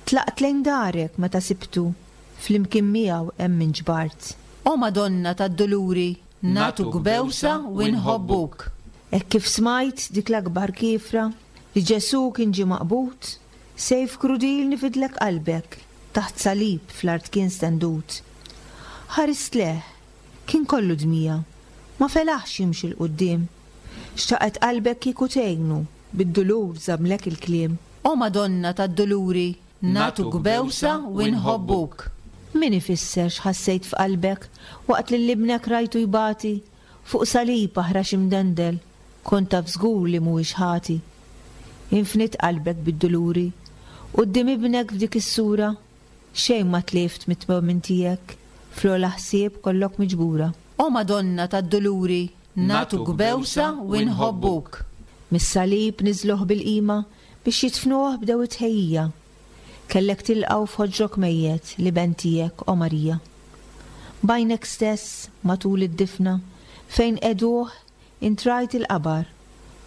Speaker 3: Tlaqt lejn darek meta sibtu, flimkien miegħu hemm inġbart. O Madonna tad-Duluri, nagħtuk bewsa u nħobbuk. Hekk kif smajt dik l-akbar kiefra, li Ġesù kien ġie maqbud, sejf krudil nifidlek qalbek, taħt salib fl-art kien stendut. Ħarist lejh, Kien kollu dmija. Ma felaħx jimxi 'l quddiem. Xtaqet qalbek kieku tgħinu, bid-dulur żammlek il-kliem. O Madonna tad-Duluri, nagħtuk bewsa u nħobbuk. Min ifisser x'ħassejt f'qalbek waqt lil ibnek rajtu jbati fuq salib aħrax imdendel, kont taf żgur li mhuwiex ħati. Infniet qalbek bid-duluri quddiem ibnek f'dik is-sura. Xejn ma tlift mit-twemmin tiegħek, fl-ogħla ħsieb kollok miġbura. O Madonna tad-Duluri, nagħtuk bewsa u nħobbuk. Mis-salib niżluh bil-qima, biex jidfnuh bdew it-tħejjija. Kellek tilqgħu f'ħoġrok mejjet l-Iben tiegħek, o Marija. B'għajnek stess, matul id-difna, fejn qegħduh, int rajt il-qabar.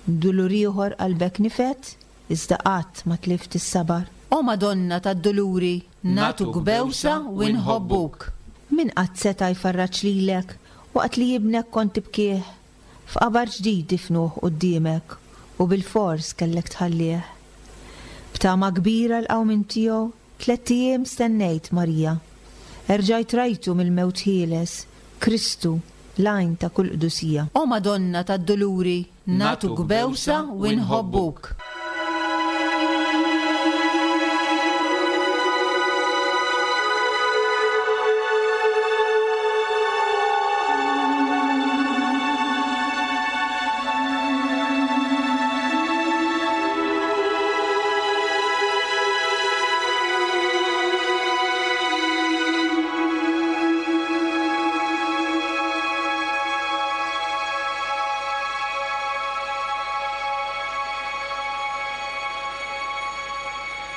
Speaker 3: Dulur ieħor qalbek nifed, Iżda qatt ma tlift is-sabar. O Madonna tad-Duluri, nagħtuk bewsa u nħobbuk. Min qatt seta' jfarraġ lilek waqt li ibnek kont tibkih? F'qabar ġdid difnuh quddiemek u bilfors kellek tħallih. B'tama kbira l-qawmien tiegħu tlett ijiem stennejt, Marija. Erġajt rajtu mill-mewt ħieles, Kristu, l-għajn ta' kull qdusija. O Madonna tad-Duluri, Nagħtuk bewsa u nħobbuk.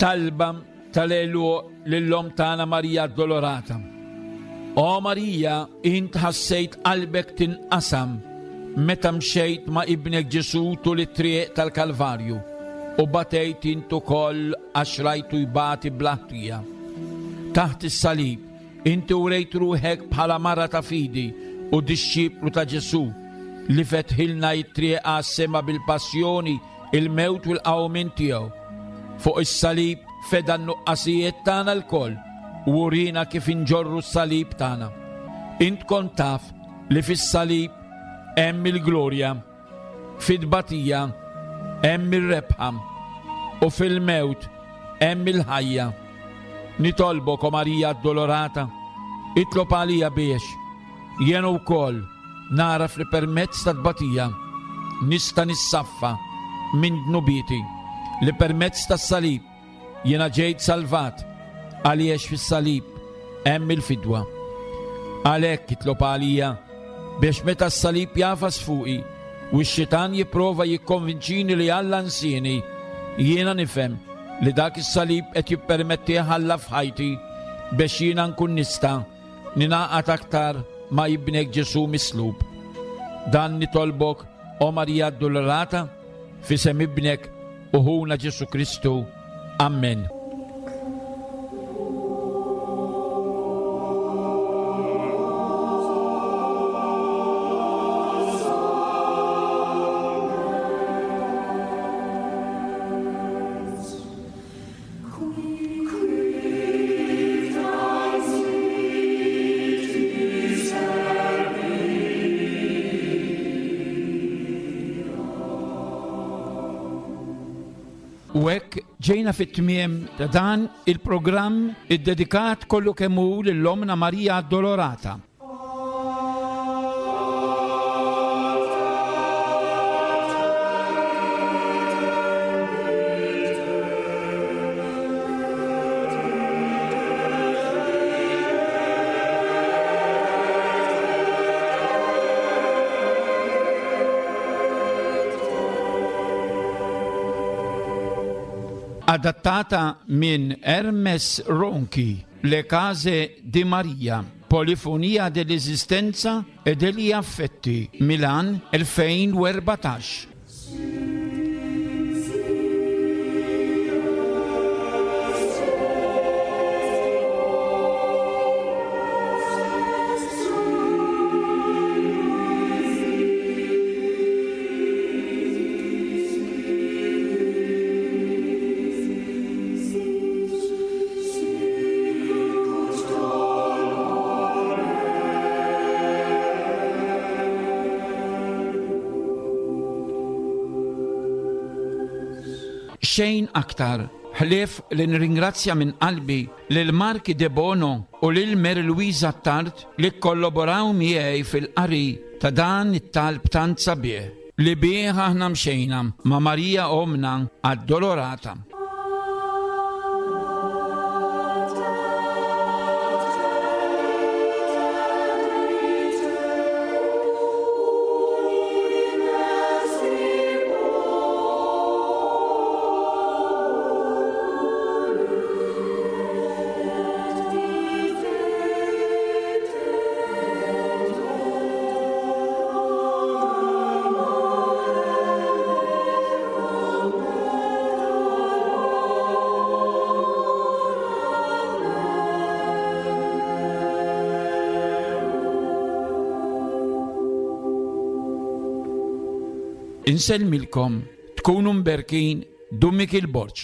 Speaker 2: Talba tal-għeluq lill-Omm tagħna Marija Addolorata. O Marija, int ħassejt qalbek tinqasam meta mxejt ma' ibnek Ġesù tul it-triq tal-Kalvarju u batejt int ukoll għax rajtu jbati bla ħtija. Taħt is-salib, Inti wrejt ruħek bħala mara ta' fidi u dixxiplu ta' Ġesù, li fetħilna t-triq għas-sema bil-passjoni, il-mewt u l-qawmien tiegħu. Fuq is-salib feda n-nuqqasijiet tagħna lkoll u uriena kif inġorru s-salib tagħna. Int kont taf li fis-salib hemm il-glorja. Fit-tbatija hemm ir-rebħa u fil-mewt hemm il-ħajja. Nitolbok, o Marija Addolorata, itlob għalija biex jien wkoll nagħraf li permezz tat-tbatija nista' nissaffa minn dnubieti, li permezz tas-salib Jiena ġejt salvat għaliex fis-salib hemm il-fidwa. Għalhekk itlob għalija biex meta s-salib jagħfas fuqi u x-xitan jipprova jikkonvinċini li Alla nsieni, jiena nifhem li dak is-salib qed jippermettih Alla f'ħajti biex jiena nkun nista' ningħaqad aktar ma' ibnek Ġesù mislub. Dan nitolbok, o Marija Addolorata, F'isem Ibnek u Ħuna Ġesù Kristu. Ammen. U hekk ġejna fit-tmiem ta' dan il-programm iddedikat kollu kemm hu lil Ommna Marija Addolorata. Adattata minn Hermes Ronchi, Le case di Maria, Polifonia dell'esistenza e degli affetti, Milan 2014. Xejn aktar, ħlief li nirringrazzja minn qalbi lil Mark Debono u lil Mary Louise Attard li kkollaboraw miegħi fil-qari ta' dan it-talb tant sabiħ li bih aħna mxejna ma' Marija Ommna Addolorata. Insellmilkom, tkunu mberkin, Dun Mikiel Borg.